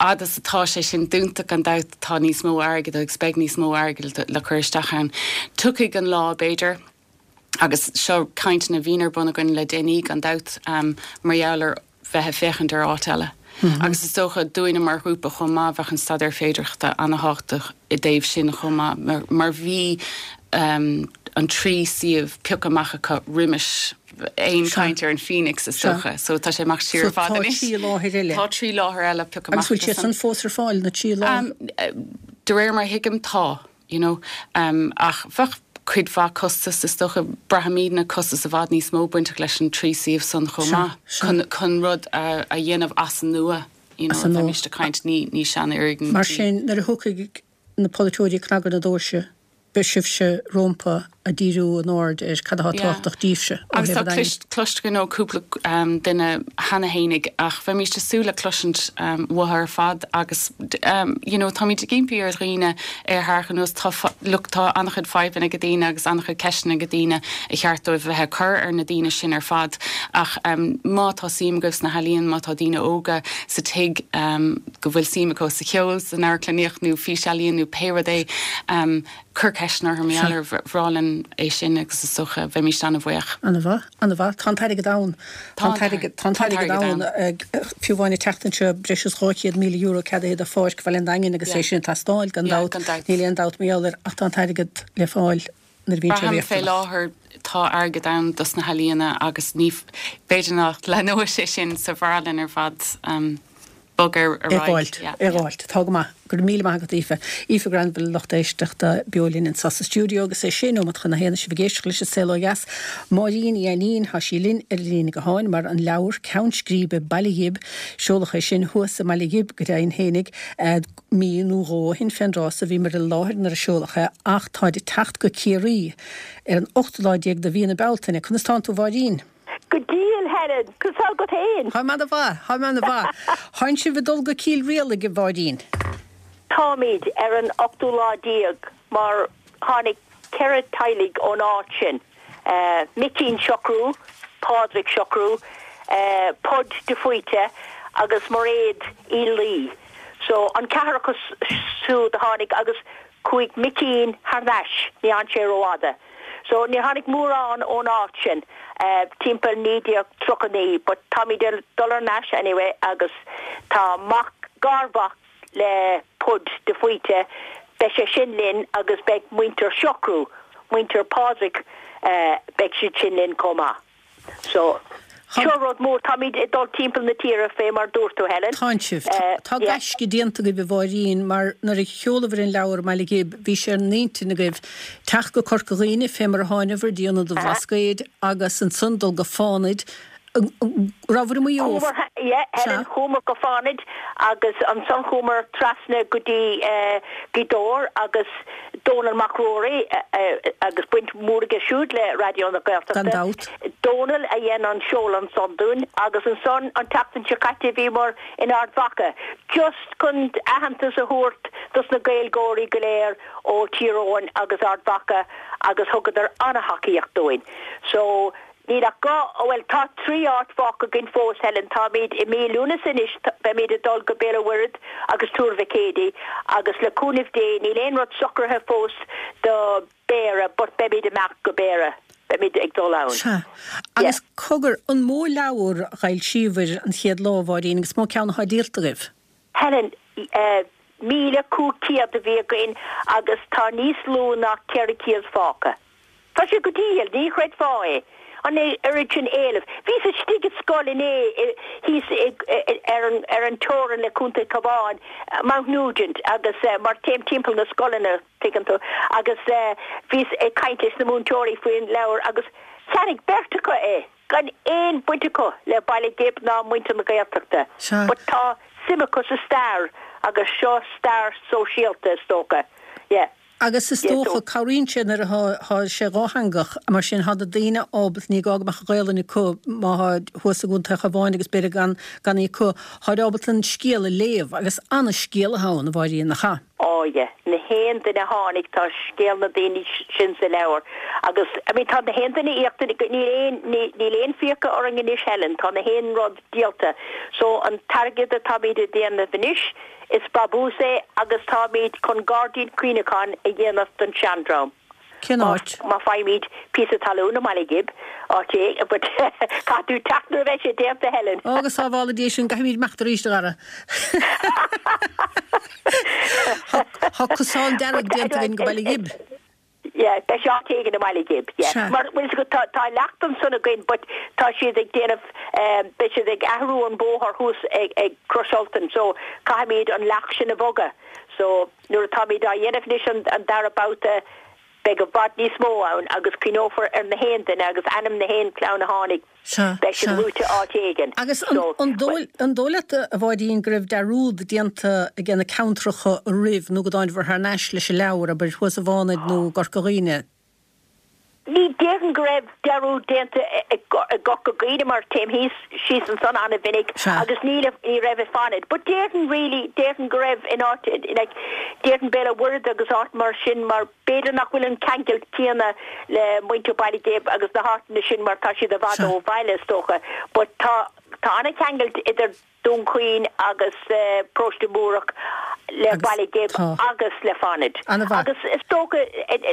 fhad is atá sé sin dúnta gan dabht tá níos mó airgid agus beidh níos mó airgid le cur isteach ann. Tiocfaidh an lá b'fhéidir. Agus seo cainteanna a bhíonn ar bun againn le déanaí, gan dabht, mar gheall ar bheith ag féachaint ar áit eile. Agus is dócha, dúinne mar ghrúpa chomh maith, bheadh an staidéar féidearthachta ana-thábhachtach i dtaobh sin chomh maith, mar bhí an trí suíomh pioctha amach acu roimis aon chaint ar an Phoenix, is dócha. So tá sé amach siar i bhfad anois. So tá trí láthair eile. Tá trí láthair eile pioctha amach. Agus bhfuil siad san fós ar fáil, na trí láthair? De réir mar a thuigim, tá. you know. Ach bheadh cuid mhaith costas, is dócha, braithimidne costas i bhfad níos mó bainteach leis an trí suíomh san chomh maith, chun, chun rud a, a dhéanamh as an nua, you know, bheimíst ag caint, ní, ní seanfhoirgintí. Mar sin, nuair a thiocfaidh na polaiteoirí ag cnagadh na doirse, beidh sibhse rompu ag díriú a n-aird ar cad atá tábhachtach díbhse ó Agus thaobh tá an Daingin. cloiste againn ó cúpla duine cheana fhéinig ach bheimíst ag súil le cloisint uathu ar fad agus you know táimid ag impí ar dhaoine é a tharrac anuas tá look tá an-chuid fadhbanna ag daoine agus an-chuid ceisteanna ag daoine a cheart dóibh bheith ag cur ar na daoine sin ar fad ach má tá suim agaibh sna healaíona má tá daoine óga sa tigh go bhfuil suim acu sa cheol san amharclannaíocht nó físealaíon nó pé rud é Cuir ceisteanna orthu, mar gheall ar, bhreá linn é sin agus is dócha bheimíst an-bhuíoch. An-mhaith, an-mhaith. Tá an t-airgead ann. Tá an t-airgead, tá an t-airgead ann. Fiú amháin an tseachtain seo, breis is €200,000 ceadaithe do Pháirc Bhaile an Daingin agus é sin ag teastáil, gan dabht. Níl aon dabht mar gheall air ach tá an t-airgead le fáil nuair a bhíonn sé riachtanach. Braithim fé láthair tá airgead ann dos na healaíona agus ní, b'fhéidir nach leathnóidh sé sin so bhreá linn ar fad. bog ar aghaidh. É a dh'fháilt. Tá go maith. Go raibh míle maith agat, Aoife. Aoife Granville, lucht éisteachta, beo linn anseo sa stiúideo agus é sé nóimeat chun a haon sibh ag éisteacht leis an Saol Ó Dheas. Máirín Uí Ainnín, tá sí linn ar an líne gutháin mar an leabhar Ceann Scríbe Baile Ghib, seoladh é sin thuas i mBaile Ghib go deimhin fhéinig mí nó dhó ó shin fén dtráth so bhíomar i láthair nuair a seoladh é ach táid ag teacht go Ciarraí ar an ochtú lá déag de mhí na Bealtaine. Conas tánn tú a Mháirín? Go diail, Helen! Conas tá agat féin? Táim ana-mhaith, táim ana-mhaith. Tánn sibh ag dul go Cill Rialaig, a Mháirín? Táimid, ar an ochtú lá déag, mar tháinig 4 teaghlaigh ón áit sin, Micín Siochrú, Pádraig Siochrú, Pod de Faoite agus Mairéad Uí Laoi. So, an ceathrar acu siúd a tháinig agus chuaigh Micín thar n-ais, ní fhan sé rófhada. So, níor tháinig mórán ón áit sin timpeall 1939 but táimid ag dul thar n-ais anyway agus tá mac, garmhac le Pod de Faoite, beidh sé sin linn agus beidh muintir Siochrú, muintir Pádraig. Beidh siad sin linn chomh maith. So, seo rud mór. Táimid ag dul timpeall na tíre fé mar dúirt tú, Helen. Tánn sibh. Tá gaisce déanta agaibh a Mháirín mar nuair a sheolabhair an leabhar i mBaile Ghib bhí sé ar an intinn agaibh teacht go Corca Dhuibhne fé mar a tháinabhair dtí Ionad an Bhlascaoid agus ansan dul go Fánaid Rabhabhair i Maigh Eo. Chuamar, yeah, Helen, chuamar go Fánaid agus ansan chuamar trasna go dtí Gaoth Dobhair agus Dónall Mac Ruairí agus baint mhór aige siúd le Raidió na Gaeltachta. Gan dabht. Dónall a dhein an seoladh ansan dúinn agus ansan an tseachtain seo caite bhíomar in Ard Mhacha just chun aitheantas a thabhairt dos na Gaeilgeoirí go léir ó Tír Eoghain agus Ard Mhacha agus thugadar ana-thacaíocht dúinn. So Níl ach go, bhuel, tá 3 áit fágtha againn fós, Helen. Táimid i mí Lúnasa anois, beimid ag dul go Béal an Mhuirthead agus Tuar Mhic Éadaigh agus le cúnamh Dé, níl aon rud socraithe fós do Béarra but beimid amach go Béarra, beimid ag dul ann. Sea. Agus cogar, an mó leabhar a dh'fhoilsíobhair an chéad lá, a Mháirín, agus mó ceann athá díolta agaibh? Helen, 1,500 a bhí againn agus tá níos lú ná 400 fágtha. Tá sé go diail, ní chreidfeá é, an oiread sin éilimh. Bhíos istigh i scoil inné thíos ar an ar an teorainn le Contae Cabháin, Mountnugent, agus mar téim timpeall na scoileanna, tuigeann tú, agus bhíos ag caint leis na múinteoirí faoin leabhar agus cheannaigh beirt acu é. gan aon baint acu le Baile Ghib ná muintir na Gaeltachta. Sea. But tá suim acu sa stair agus seo stair sóisialta is dócha. Yeah. Agus is Yeah, dócha, so. cabhraíonn sé nuair athá thá sé dhátheangach, mar sin thá na daoine ábalta, ní gá go mbeadh an Ghaelainn acu má thá thuas i gContae an Chabháin agus b'fhéidir gan gan í acu, tháid ábalta an scéal a léamh agus ana-scéal athá ann, a Mháirín, nach ea? Oh yeah, na haon duine a tháinig, tá scéal na daoine sin sa leabhar agus I mean tá na haon duine íoctha, níl aon, níl aon fiacha orainn anois Helen, tá na haon rud díolta. So an t-airgead atáimid a déanamh anois, is brabús é agus táimid chun gairdín cuimhneacháin a dhéanamh don seandream. Cén áit? Má faighimid píosa talún i mBaile Ghib, áit é, but caithfidh tú teacht nuair a bheidh sé déanta, Helen. Ó, go sábhála Dia sinn, caithfimid imeacht arís, a dhara. Tá cosán dearg déanta againn go Baile Ghib. Yeah, beidh sé áit éigin i mBaile Ghib, yeah. Sea. Mar, bhfuil fhios agat, tá, tá leacht ansan againn but tá siad ag déanamh, beidh siad ag athrú an bóthar thuas ag, ag Crois Ultain so caithfimid an leacht sin a bhogadh. So, Nuair atáimid á dhéanamh anois an dara babhta beidh i bhfad níos mó ann agus cuimhneofar ar na haon duine agus ainm na haon clann a tháinig, Sea, beidh siad sea. luaite áit éigin. Agus an, So, an dóigh, an dóigh leat, a Mháirín, go raibh dearúd déanta aige na ceantracha roimh nó go dtáinabhair thar n-ais leis an leabhar, abair, thuas i bhFánaid nó i gCorca Dhuibhne? Ní déarfainn go raibh dearúd déanta i gCorca Dhuibhne mar téim thíos, síos ansan ana-mhinic Sea. agus níl, ní raibh i Fánaid. But déarfainn really, déarfainn go raibh in áit, like, déarfainn Béal an Mhuirthead agus áit mar sin mar b'fhéidir nach bhfuil an ceangal céanna le muintir Baile Ghib agus na háiteanna sin mar tá siad i bhfad Sea. ó bhaile is dócha. But tá, tá ana-cheangal idir Dún Chaoin agus Paróiste Múrach le Baile Ghib agus le Fánaid. Agus is dócha,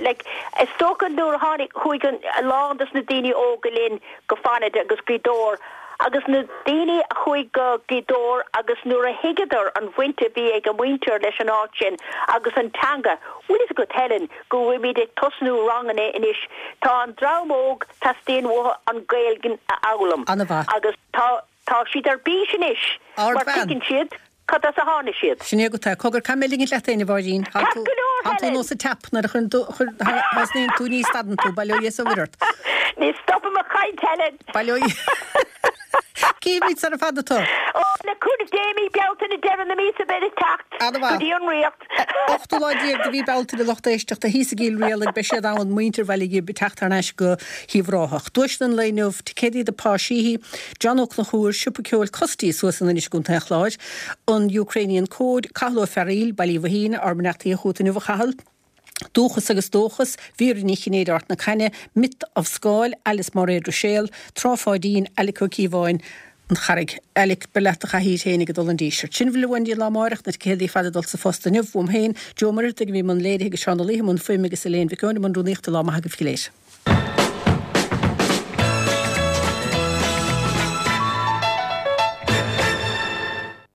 like, is dócha nuair a tháinig, chuaigh an, a lán dos na daoine óga linn go Fánaid agus Gaoth Dobhair agus na daoine a chuaigh go Gaoth Dobhair agus nuair a thuigeadar an bhaint a bhí ag a muintir leis an áit sin agus an teanga, bhfuil fhios agat Helen, go bhfuilimid ag tosnú ranganna anois, tá an dream óg, teastaíonn uathu an Ghaeilge a fhoghlaim agus tá, Tá siad ar bís anois mar tuigeann siad cad as a tháinig siad. Sin é agat é. Cogar, caithfidh mé ligint leat féin, a Mháirín. Tá Ceart go leor, tú Helen! nós an tap nuair a chuireann tú, thosnaíonn tú, ní stadann tú. Bail ó Dhia is ó Mhuire ort. Ní stopaim ag caint, Helen! Bail ó Dhia. Cífimid sara fada tú. Ó, le cúnamh Dé, mí Bealtaine, deireadh na míosa beidh ag teacht go dtí an Ríocht. Ochtú lá déag de mhí Bealtaine lucht éisteachta thíos i gCill Rialaig beidh siad ann, muintir Bhaile Ghib ag teacht thar n-ais go hUíbh Ráthach. Duaiseanna an lae inniu, ticéadaí do Pa Sheehy, John Ó Conchúir, Siopa Ceoil Custy suas in Inis i gContae an Chláir, an Ukrainian Code, Cathal Ó Fearaíl, Baile Uí Mhathín, ár mbeannachtaí chugat inniu a Chathail, Dúchas agus Dóchas, Vera Ní Chinnéide Ard na Caithne, Myth of Scáil, Alice Máiréad Ruiséal, Trá Pháidín, Alec Ó Cíobháin, An Charraig. Alec, beir leat do chathaoir féin ag dul an Díseart. Sin a bhfuil uainn go dtí an lá amáireach, na ticéadaí ar fad ag dul sa phost inniu, uaim féin, Joe Ó Muircheartaigh a bhí i mbun léirithe agus Seán Ó Laoithe i mbun fuaime agus Elaine Mhic Eoin i mbun rúnaíochta. Lá maith agaibh go léir.